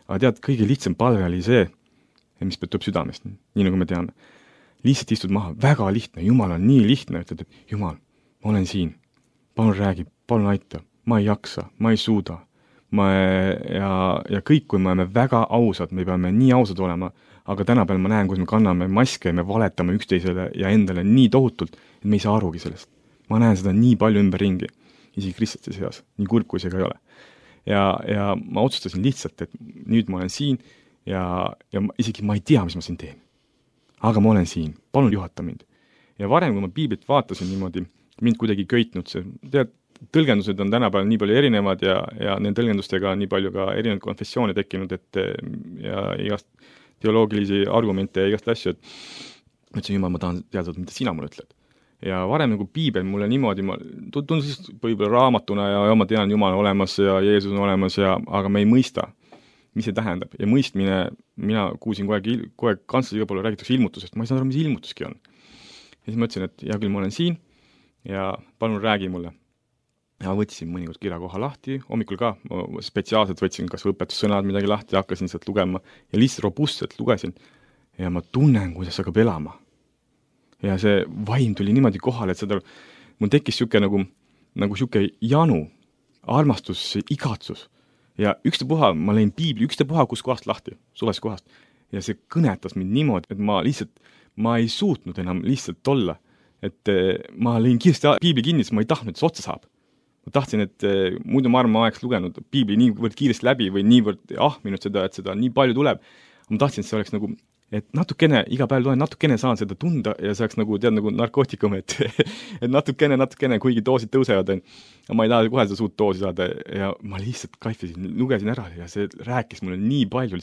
Aga tead, kõige lihtsam palve oli see, mis tuleb südamest, nii nagu me teame. Lihtsalt istud maha, väga lihtne, Jumal on nii lihtne, ütled, et Jumal, ma olen siin, palun räägi, palun aita, ma ei jaksa, ma ei suuda. Ma, ja, ja kõik, kui me oleme väga ausad, me peame nii ausad olema, aga tänapäeval ma näen, kus me kanname maske ja me valetame üksteisele ja endale nii tohutult, et me ei saa arugi sellest. Ma näen seda nii palju ümber ringi, isegi kristlaste seas, nii kurb kui see ka ei ole. Ja, ja ma otsustasin lihtsalt, et nüüd ma olen siin ja, ja isegi ma ei tea, mis ma siin teen. Aga ma olen siin, palun juhata mind. Ja varem, kui ma piiblit vaatasin niimoodi, mind kuidagi köitnud see, tead, tõlgendused on tänapäeval nii palju erinevad ja, ja nende tõlgendustega on nii palju ka erinevad konfessioone tekkinud, et ja igast teoloogilisi argumente ja igast asju, et ma ütlesin, Jumal, ma tahan teada, mida sina mulle ütled. Ja varem nagu piibel mulle niimoodi, ma tundun siis võib-olla raamatuna ja, ja ma tean, Jumal on olemas ja Jeesus on olemas, ja, aga me ei mõista, mis see tähendab. Ja mõistmine, mina kuusin kogu aeg, kogu aeg kantslas iga poole räägitakse ilmutusest, ma ei saa aru, mis ilmutuski on. Ja siis ma ütlesin, et hea küll, ma olen siin ja palun räägi mulle. Ja võtsin mõnikord kirja koha lahti, hommikul ka, ma spetsiaalselt võtsin kas õpetussõnad midagi lahti ja hakkasin sealt lugema ja lihtsalt robustselt lugesin ja ma tunnen, kuidas hakkab elama. Ja see vaim tuli niimoodi kohale, et seda, mul tekkis siuke nagu, nagu siuke janu, armastus, igatsus. Ja ükstapuha, ma lõin piibli ükstapuha kus kohast lahti, suvest kohast. Ja see kõnetas mind niimoodi, et ma lihtsalt, ma ei suutnud enam lihtsalt olla. Et ma lõin kiiresti piibli kinni, sest ma ei tahtnud, et see otsa saab. Ma tahtsin, et muidu ma arvan, ma oleks lugenud piibli niivõrd kiiresti läbi või niivõrd ahminud seda, et seda nii palju tuleb. Ma tahtsin, et see oleks nagu et natukene, iga päev loen, natukene saan seda tunda ja see oleks nagu, tead, nagu narkootikum, et, et natukene, natukene, kuigi doosid tõusevad, ma ei taha kohe seda suurt doosi saada ja ma lihtsalt kaifisin, lugesin ära ja see rääkis mulle nii palju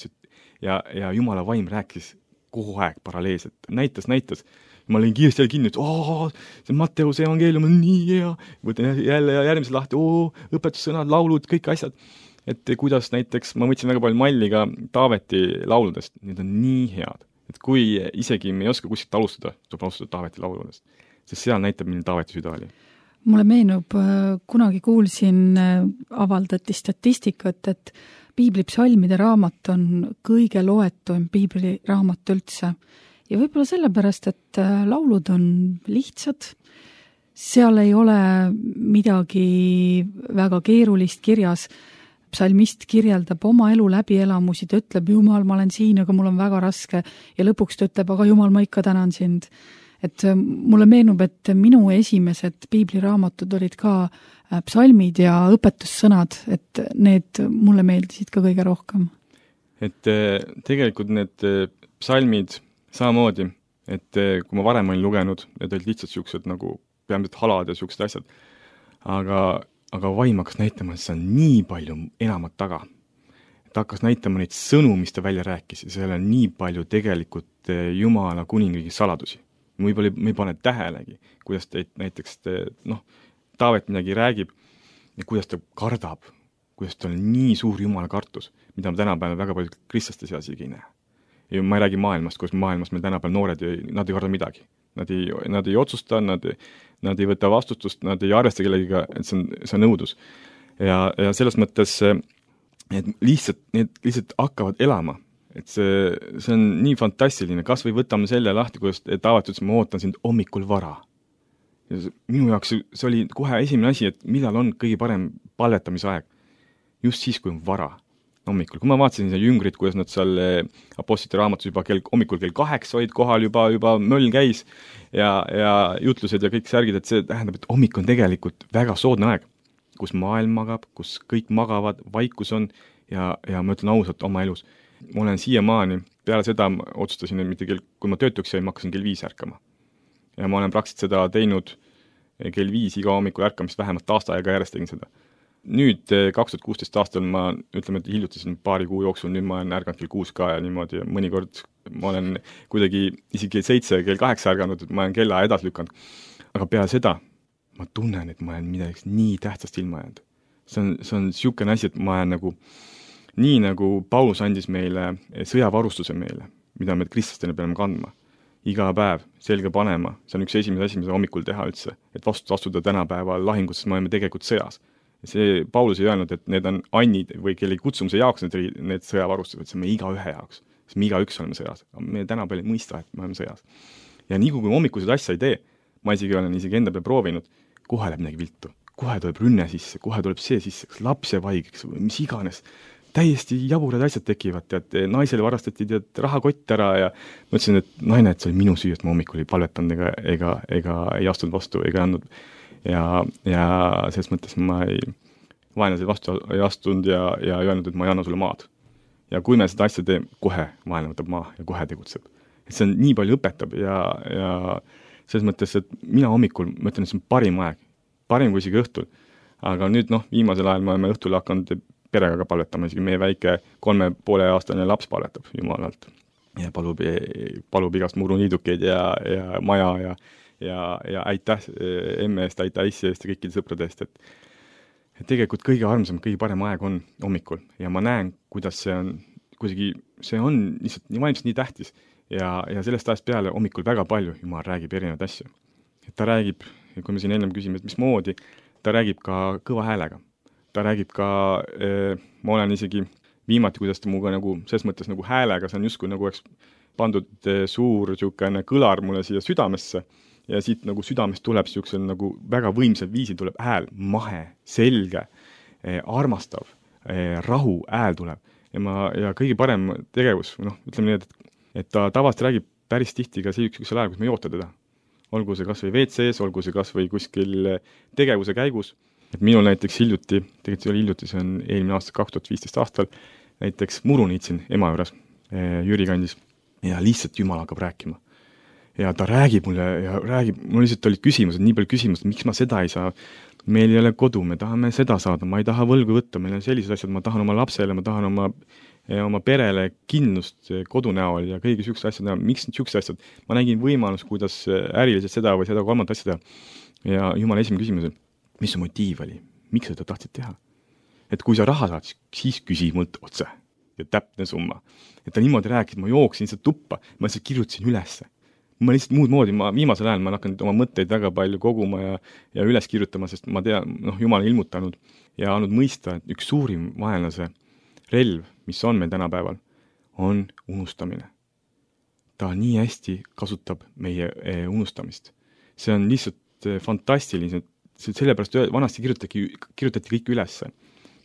ja, ja Jumala vaim rääkis kogu aeg paralleelselt, näitas, näitas. Ma olin kiiresti jälle kinni, et oo, see Matteuse evangeelium on nii hea, võtan jälle ja järgmise lahti, oo, õpetussõnad, laulud, kõik asjad. Et kuidas näiteks, ma võtsin väga palju malli ka Taaveti lauludest, need on nii head, et kui isegi me ei oska kuskilt alustada, tuleb alustada Taaveti lauludest, sest seal näitab, milline Taaveti süda oli. Mulle meenub, kunagi kuulsin, avaldati statistikat, et piiblipsalmide raamat on kõige loetuim piibliraamat üldse. Ja võib-olla sellepärast, et laulud on lihtsad, seal ei ole midagi väga keerulist kirjas. Psalmist kirjeldab oma elu läbielamusi, ta ütleb, Jumal, ma olen siin, aga mul on väga raske ja lõpuks ta ütleb, aga Jumal, ma ikka tänan sind. Et mulle meenub, et minu esimesed piibliraamatud olid ka psalmid ja õpetussõnad, et need mulle meeldisid ka kõige rohkem. Et tegelikult need psalmid samamoodi, et kui ma varem olin lugenud, need olid lihtsalt siuksed nagu peamiselt halad ja siuksed asjad, aga aga vaim hakkas näitama, et see on nii palju enamat taga. Ta hakkas näitama neid sõnu, mis ta välja rääkis ja seal on nii palju tegelikult Jumala kuningriigi saladusi. Me ei, me ei pane tähelegi, kuidas te näiteks, te, noh, Taavet midagi räägib ja kuidas ta kardab, kuidas ta on nii suur Jumala kartus, mida me tänapäeval väga palju kristlaste seas ei näe. ja ma ei räägi maailmast, kus maailmas meil tänapäeval noored, nad ei karda midagi. Nad ei, nad ei otsusta, nad, nad ei võta vastutust, nad ei arvesta kellegiga, et see on, see on õudus. Ja, ja selles mõttes, et lihtsalt, need lihtsalt hakkavad elama. Et see, see on nii fantastiline, kas või võtame selle lahti, kuidas et avatud, ma ootan sind hommikul vara. Ja minu jaoks see oli kohe esimene asi, et millal on kõige parem palvetamise aeg. Just siis, kui on vara hommikul. Kui ma vaatasin seda jüngrit, kuidas nad seal apostlite raamatus juba kell, hommikul kell kaheksa olid kohal, juba, juba möll käis ja, ja jutlused ja kõik särgid, et see tähendab, et hommik on tegelikult väga soodne aeg, kus maailm magab, kus kõik magavad, vaikus on ja, ja ma ütlen ausalt oma elus. Ma olen siiamaani, peale seda otsustasin, et mitte kell, kui ma töötuks jäin, ma hakkasin kell viis ärkama. Ja ma olen praktiliselt seda teinud kell viis iga hommikul ärkamist, vähemalt aasta aega järjest tegin seda. Nüüd kaks tuhat kuusteist aastal ma ütleme, et hiljutisin paari kuu jooksul, nüüd ma olen ärganud kell kuus ka ja niimoodi ja mõnikord ma olen kuidagi isegi kell seitse, kell kaheksa ärganud, et ma olen kella edasi lükanud. Aga peale seda ma tunnen, et ma olen midagi nii tähtsast ilma jäänud. See on, see on siukene asi, et ma olen nagu nii nagu Paulus andis meile sõjavarustuse meile, mida me kristlastena peame kandma. Iga päev selge panema, see on üks esimese asi, mida hommikul teha üldse, et vastu astuda tänapäeval lahingus, sest me oleme tegelikult sõjas. See Paulus ei öelnud, et need on annid või kelle kutsumise jaoks need, need sõjavarustused, see on me iga ühe jaoks, sest me iga üks oleme sõjas. Me tänapäeval ei mõista, et me oleme sõjas. Ja nii kui hommikused asja ei tee, ma isegi olen isegi enda peal proovinud, kohe läheb midagi viltu, kohe tuleb rünne sisse, kohe tuleb see sisse, kas laps jääb haigeks või mis iganes. Täiesti jaburad asjad tekivad, et naisele varastati tead, rahakott ära ja ma ütlesin, et naine, et see oli minu süü, et ma hommikul ei palvetanud ega, ega, ega ei astunud vastu ega andnud. Ja, ja selles mõttes ma ei vaenlasel vastu ei astunud ja, ja ei öelnud, et ma ei anna sulle maad. Ja kui me seda asja teeme, kohe vaenlane võtab maa ja kohe tegutseb. Et see on nii palju õpetab ja, ja selles mõttes, et mina hommikul, ma ütlen, et see on parim aeg, parim kui isegi õhtul. Aga nüüd noh, viimasel ajal me oleme õhtul hakanud perega ka palvetama, isegi meie väike kolme poole aastane laps palvetab Jumalalt ja palub, palub igast muruniidukeid ja, ja maja ja, ja, ja aitäh emme eest, aitäh issi eest ja kõikide sõprade eest, et, et tegelikult kõige armsam, kõige parem aeg on hommikul ja ma näen, kuidas see on, kuidagi see on lihtsalt nii vaimselt nii tähtis ja, ja sellest ajast peale hommikul väga palju Jumal räägib erinevaid asju. Et ta räägib, kui me siin ennem küsime, et mis moodi, ta räägib ka kõva häälega. Ta räägib ka, eh, ma olen isegi viimati, kuidas ta muga nagu, selles mõttes nagu häälega, see on justkui nagu oleks pandud eh, suur siukene kõlar mulle siia südamesse ja siit nagu südamest tuleb siuksel nagu väga võimsal viisil tuleb hääl, mahe, selge, eh, armastav, eh, rahu hääl tuleb ja, ma, ja kõige parem tegevus, noh, ütleme nii, et, et ta tavast räägib päris tihti ka siuksel ajal, kus me ei oota teda. Olgu see kas või V C-s, olgu see kas või kuskil tegevuse käigus. Et minul näiteks hiljuti, tegelikult see oli hiljuti, see on eelmine aasta kaks tuhat viisteist aastal, näiteks muru niitsin ema juures Jüri kandis ja lihtsalt Jumal hakkab rääkima. Ja ta räägib mulle ja räägib, mul lihtsalt olid küsimused, nii palju küsimused, miks ma seda ei saa, meil ei ole kodu, me tahame seda saada, ma ei taha võlgu võtta, meil on sellised asjad, ma tahan oma lapsele, ma tahan oma, oma perele kindlust kodu näol ja kõigi siuksed asjad näol, miks need siuksed asjad, ma nägin võimalus, kuidas äriliselt seda või seda kolmandat asja teha. Ja Jumal esimene küsimus, mis su motiiv oli? Miks sa seda tahtsid teha? Et kui sa raha saad, siis küsi mult otse ja täpne summa. Et ta niimoodi rääkis, ma jooksin lihtsalt tuppa, ma lihtsalt kirjutasin ülesse. Ma lihtsalt muud moodi, ma viimasel ajal ma hakkan oma mõtteid väga palju koguma ja, ja üles kirjutama, sest ma tean, noh, Jumal on ilmutanud ja andnud mõista, et üks suurim vaenlase relv, mis on meil tänapäeval, on unustamine. Ta nii hästi kasutab meie unustamist. See on lihtsalt fantastiline, sellepärast vanasti kirjutati, kirjutati kõik ülesse.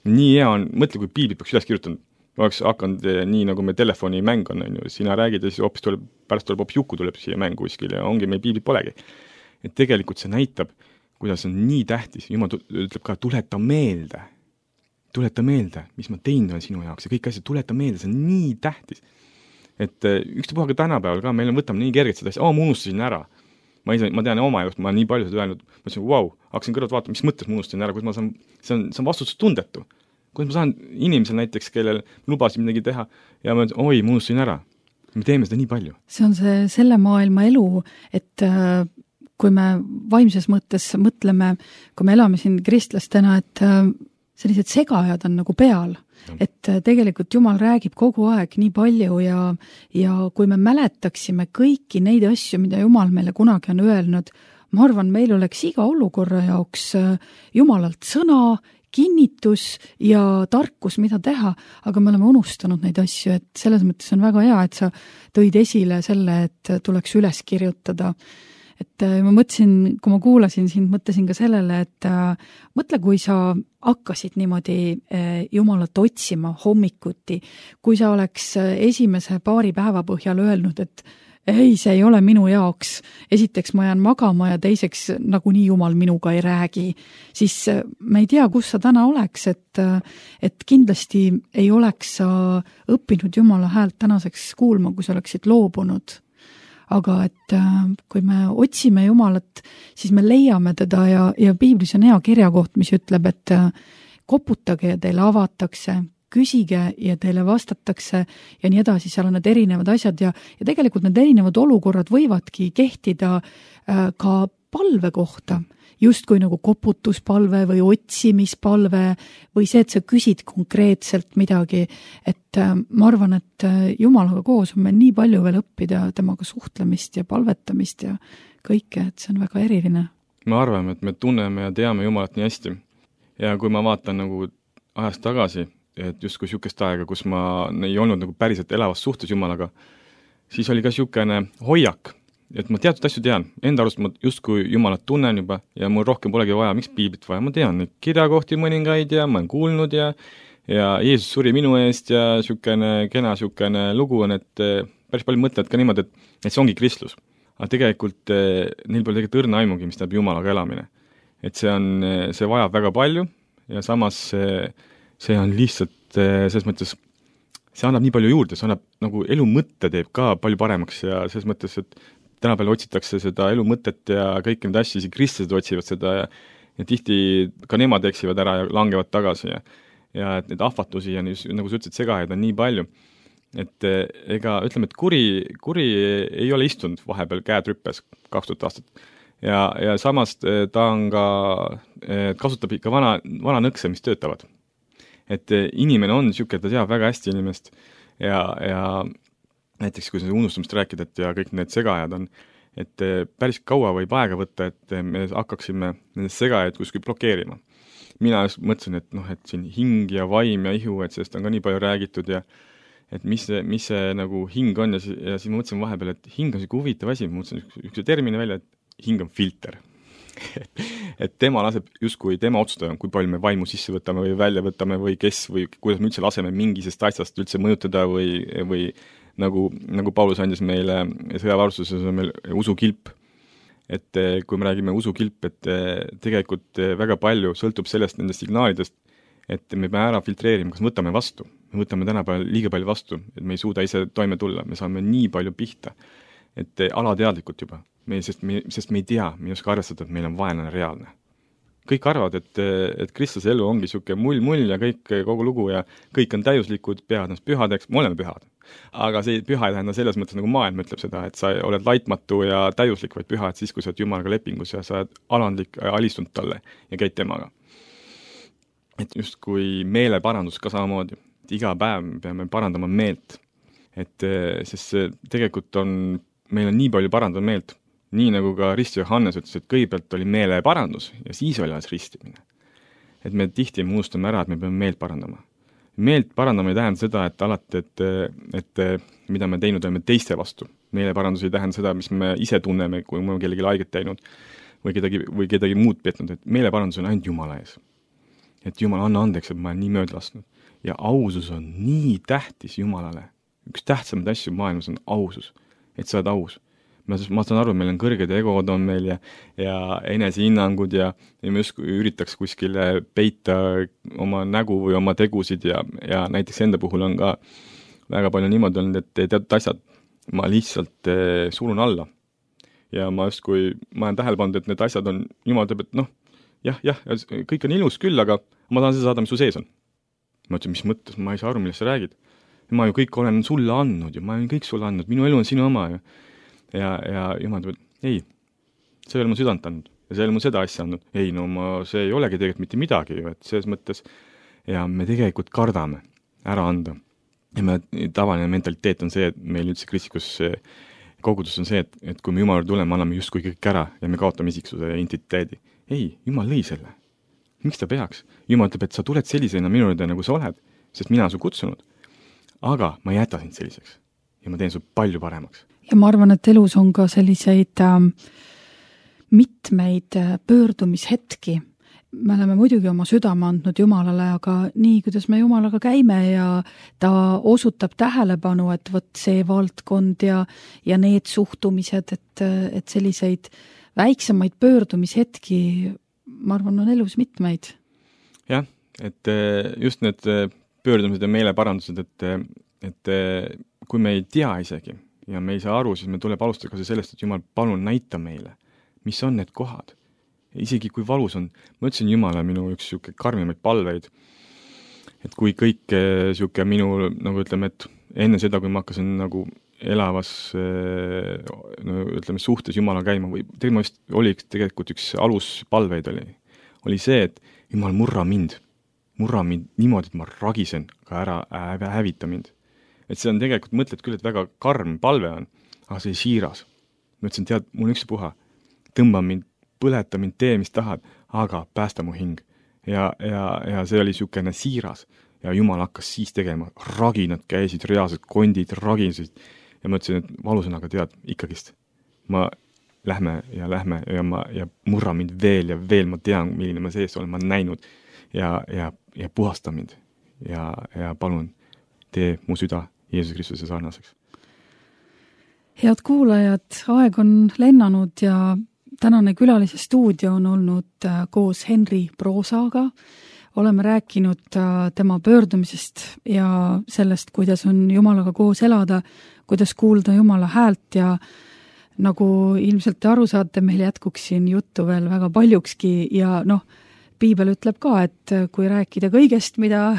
Nii hea on, mõtle, kui piiblit peaks üles kirjutanud. Oleks hakanud nii, nagu me telefoni mäng on, on ju. Sina räägid ja siis hoopis tuleb, pärast tuleb hoopis juku tuleb siia mängu kuskil ja ongi meil piiblit polegi. Et tegelikult see näitab, kuidas on nii tähtis. Jumal ütleb ka, tuleta meelde. Tuleta meelde, mis ma teinud olen sinu jaoks ja kõik asjad, tuleta meelde, see on nii tähtis. Et üks puha ka tänapäeval ka, meil on võtame nii kergelt seda asja, oo, ma unustasin ära. Ma, ise, ma tean oma elust, ma nii palju seda öelnud, ma ütlesin, vau, wow, hakkasin kõrvalt vaatama, mis mõttes ma unustasin ära, kus ma saan, see on, see on vastutustundetu. Kuidas ma saan inimesel näiteks, kellel lubasin midagi teha ja ma ütlen, oi, ma unustasin ära. Me teeme seda nii palju. See on see selle maailma elu, et äh, kui me vaimses mõttes mõtleme, kui me elame siin kristlastena, et äh, sellised segajad on nagu peal, et tegelikult Jumal räägib kogu aeg nii palju ja, ja kui me mäletaksime kõiki neid asju, mida Jumal meile kunagi on öelnud, ma arvan, meil oleks iga olukorra jaoks Jumalalt sõna, kinnitus ja tarkus, mida teha, aga me oleme unustanud neid asju, et selles mõttes on väga hea, et sa tõid esile selle, et tuleks üles kirjutada. Et ma mõtlesin, kui ma kuulasin sind, mõtlesin ka sellele, et mõtle, kui sa hakkasid niimoodi Jumalat otsima hommikuti, kui sa oleks esimese paari päeva põhjal öelnud, et ei, see ei ole minu jaoks. Esiteks ma jään magama ja teiseks nagunii Jumal minuga ei räägi. Siis me ei tea, kus sa täna oleks, et, et kindlasti ei oleks sa õppinud Jumala häält tänaseks kuulma, kui sa oleksid loobunud. Aga et kui me otsime Jumalat, siis me leiame teda ja, ja Piiblis on hea kirjakoht, mis ütleb, et koputage ja teile avatakse, küsige ja teile vastatakse ja nii edasi, seal on need erinevad asjad ja, ja tegelikult need erinevad olukorrad võivadki kehtida ka palve kohta, justkui nagu koputuspalve või otsimispalve või see, et sa küsid konkreetselt midagi, et ma arvan, et Jumalaga koos on meil nii palju veel õppida temaga suhtlemist ja palvetamist ja kõike, et see on väga eriline. Me arvame, et me tunneme ja teame Jumalat nii hästi ja kui ma vaatan nagu ajast tagasi, et just kui sükest aega, kus ma ei olnud nagu päriselt elavas suhtes Jumalaga, siis oli ka sükene hoiak, et ma teatud asju tean. Enda arust ma just kui Jumalat tunnen juba ja mul rohkem polegi vaja, miks piiblit vaja. Ma tean neid kirjakohti mõningaid ja ma olen kuulnud ja, ja Jeesus suri minu eest ja sükene kena sükene lugu on, et päris palju mõtlevad ka niimoodi, et, et see ongi kristlus. Aga tegelikult neil pole tegelikult õrna aimugi, mis tähendab Jumalaga elamine. Et see, on, see vajab väga palju ja samas see, see on lihtsalt selles mõttes, see annab nii palju juurde, see annab nagu elu mõtte teeb ka palju paremaks ja selles mõttes, et tänapäeval otsitakse seda elu mõtet ja kõiki need asju, isegi kristlased otsivad seda ja, ja tihti ka nemad eksivad ära ja langevad tagasi ja, ja et need ahvatlusi ja nii, nagu sa ütlesid, segajaid on nii palju, et ega ütleme, et kuri, kuri ei ole istunud vahepeal käed rüppes kaks tuhat aastat ja, ja samas ta on ka, kasutab ikka vana, vana nõkse, mis töötavad. Et inimene on niisugune, ta teab väga hästi inimest ja, ja näiteks kui see unustamist rääkida, et ja kõik need segajad on, et päris kaua võib aega võtta, et me hakkaksime nendest segajaid kuskil blokeerima. Mina just mõtlesin, et noh, et siin hing ja vaim ja ihu, et sellest on ka nii palju räägitud ja et mis see, mis see nagu hing on ja, ja siis ma mõtlesin vahepeal, et hing on siuke huvitav asi, ma mõtlesin üks termini välja, et hing on filter. et tema laseb justkui tema otsustada, kui palju me vaimu sisse võtame või välja võtame või kes või kuidas me üldse laseme mingisest asjast üldse mõjutada või, või nagu, nagu Paulus andis meile sõjavarustuses on meil usukilp. Et kui me räägime usukilp, et tegelikult väga palju sõltub sellest nendest signaalidest, et me peame ära filtreerima, kas võtame vastu. Me võtame tänapäeval liiga palju vastu, et me ei suuda ise toime tulla, me saame nii palju pihta, et alateadlikult juba. Me, sest, me, sest me ei tea, me ei oska arvestada, et meil on vaenlane reaalne. Kõik arvavad, et, et kristlase elu ongi siuke mull-mull ja kõik, kogu lugu ja kõik on täiuslikud, peavad ennast pühadeks, me oleme pühad. Aga see püha ei tähenda selles mõttes, nagu maailm ütleb seda, et sa oled laitmatu ja täiuslik, vaid püha, et siis, kui sa oled Jumalaga lepingus ja sa oled alandlik, alistunud talle ja käid temaga. Et just kui meeleparandus ka samamoodi, et iga päev me peame parandama meelt. Et sest see tegelikult on, meil on nii palju parandada meelt, nii nagu ka Rist Johannes ütles, et kõigepealt oli meeleparandus ja siis oli alles ristimine. Et me tihti me unustame ära, et me peame meelt parandama. Meelt parandama ei tähenda seda, et alati, et, et mida me teinud oleme teiste vastu. Meeleparandus ei tähenda seda, mis me ise tunneme, kui me kellegi haiget teinud või kedagi, või kedagi muud petnud. Et meeleparandus on ainult Jumala ees. Et Jumal, anna andeks, et ma olen nii mööda lasknud. Ja ausus on nii tähtis Jumalale. Üks tähtsamaid asju maailmas on ausus, et sa oled aus. Ma, ma saan aru, meil on kõrged egod on meil ja, ja enesehinnangud ja, ja me just üritaks kuskile peita oma nägu või oma tegusid ja, ja näiteks enda puhul on ka väga palju niimoodi olnud, et teatud asjad ma lihtsalt eh, surun alla. Ja ma just kui ma olen tähele pannud, et need asjad on, Jumal teeb, et noh, jah, jah, kõik on ilus küll, aga ma tahan seda saada, mis su sees on. Ma ütlen, mis mõttes, ma ei saa aru, millest sa räägid. Ma ju kõik olen sulle andnud ja ma olen kõik sulle andnud, minu elu on sinu oma ja Ja, ja Jumal teeb, ei, see ei ole mu südant andnud. ja see ei ole mul seda asja andnud. Ei, no ma, see ei olegi tegelikult mitte midagi ju, et selles mõttes ja me tegelikult kardame ära anda. Ja me tavaline mentaliteet on see, et meil üldse kristlikus kogudus on see, et, et kui me Jumala tuleme, anname justkui kõik ära ja me kaotame isiksuse ja identiteedi. Ei, Jumal lõi selle. Miks ta peaks? Jumal ütleb, et sa tuled sellisena minu juurde, nagu sa oled, sest mina su kutsunud. Aga ma ei jäta sind selliseks ja ma teen su palju paremaks. Ja ma arvan, et elus on ka selliseid äh, mitmeid pöördumishetki. Me oleme muidugi oma südame andnud Jumalale, aga nii, kuidas me Jumalaga käime ja ta osutab tähelepanu, et võt see valdkond ja, ja need suhtumised, et, et selliseid väiksemaid pöördumishetki, ma arvan, on elus mitmeid. Jah, et just need pöördumised ja meeleparandused, et, et kui me ei tea isegi ja me ei saa aru, siis me tuleb alustada ka sellest, et Jumal, palun näita meile, mis on need kohad. Isegi kui valus on, ma ütlesin Jumala minu üks siuke karmimaid palveid, et kui kõik siuke minu, nagu ütleme, et enne seda, kui ma hakkasin nagu elavas no, ütleme, suhtes Jumala käima, või tegelikult oli tegelikult üks aluspalveid oli, oli see, et Jumal, murra mind, murra mind niimoodi, et ma ragisen ka ära, hävita mind. Et see on tegelikult, mõtled küll, et väga karm palve on, aga see siiras. Ma ütlesin, tead, mul üks puha, tõmba mind, põleta mind, tee, mis tahad, aga päästa mu hing. Ja, ja, ja see oli siukene siiras. Ja Jumal hakkas siis tegema. Raginad käisid, reaalsed kondid, ragisid. Ja ma ütlesin, et valusõnaga tead, ikkagist. Ma lähme ja lähme ja, ma, ja murra mind veel ja veel. Ma tean, milline ma sees olen, ma näinud ja, ja, ja puhasta mind. Ja, ja palun, tee mu süda Jeesus Kristuse sarnaseks. Head kuulajad, aeg on lennanud ja tänane külalise stuudio on olnud koos Henri Proosaga. Oleme rääkinud tema pöördumisest ja sellest, kuidas on Jumalaga koos elada, kuidas kuulda Jumala häält ja nagu ilmselt te aru saate, meil jätkuks siin juttu veel väga paljukski ja noh, Piibel ütleb ka, et kui rääkida kõigest, mida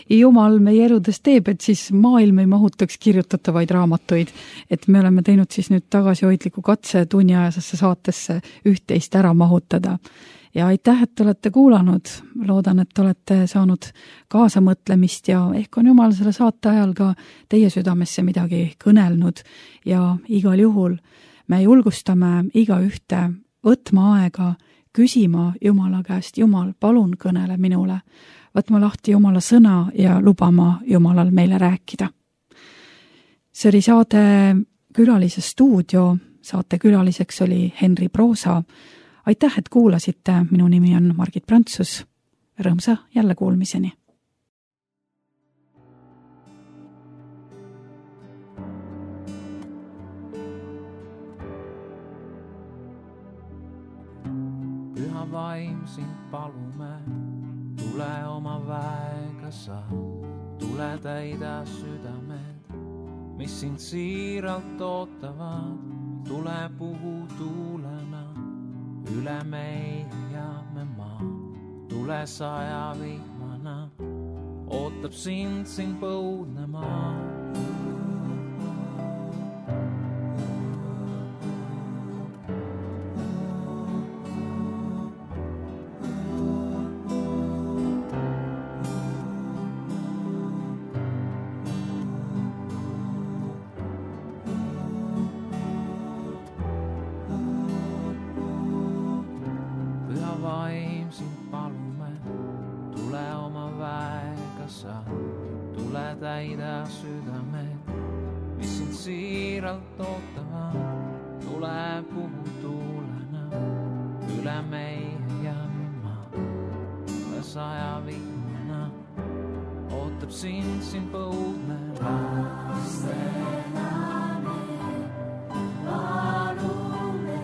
Jumal meie eludes teeb, et siis maailm ei mahutaks kirjutatavaid raamatuid. Et me oleme teinud siis nüüd tagasihoidliku katse tunniajasesse saatesse üht-teist ära mahutada. Ja aitäh, et olete kuulanud. Loodan, et olete saanud kaasamõtlemist ja ehk on Jumal selle saate ajal ka teie südamesse midagi kõnelnud. Ja igal juhul me julgustame iga ühte võtma aega küsima Jumala käest, Jumal, palun kõnele minule, võtma lahti Jumala sõna ja lubama Jumalal meile rääkida. See oli saade Külalise stuudio, saate külaliseks oli Henri Proosa. Aitäh, et kuulasite, minu nimi on Margit Prantsus, rõõmsa jälle kuulmiseni. Vaim sind palume, tule oma väega sa, tule täida südamed, mis sind siiralt ootavad, tule puhu tuulena, üle meie ja me maa, tule saja vihmana, ootab sind siin põudne maa. Täida südamed, mis sind siiralt ootavad, tule puhu tuulena, üle meie ja maa, tule saja vihmana, ootab sind siin põudne lastena me, palume,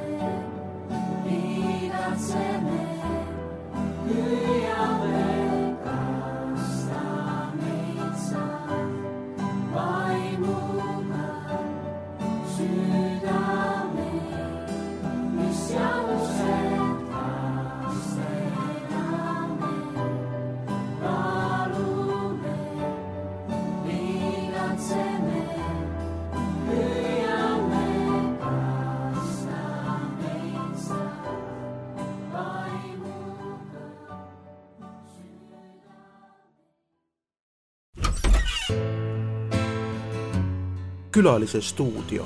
igatseme, hüüame. Palume, igatseme, Külalise stuudio.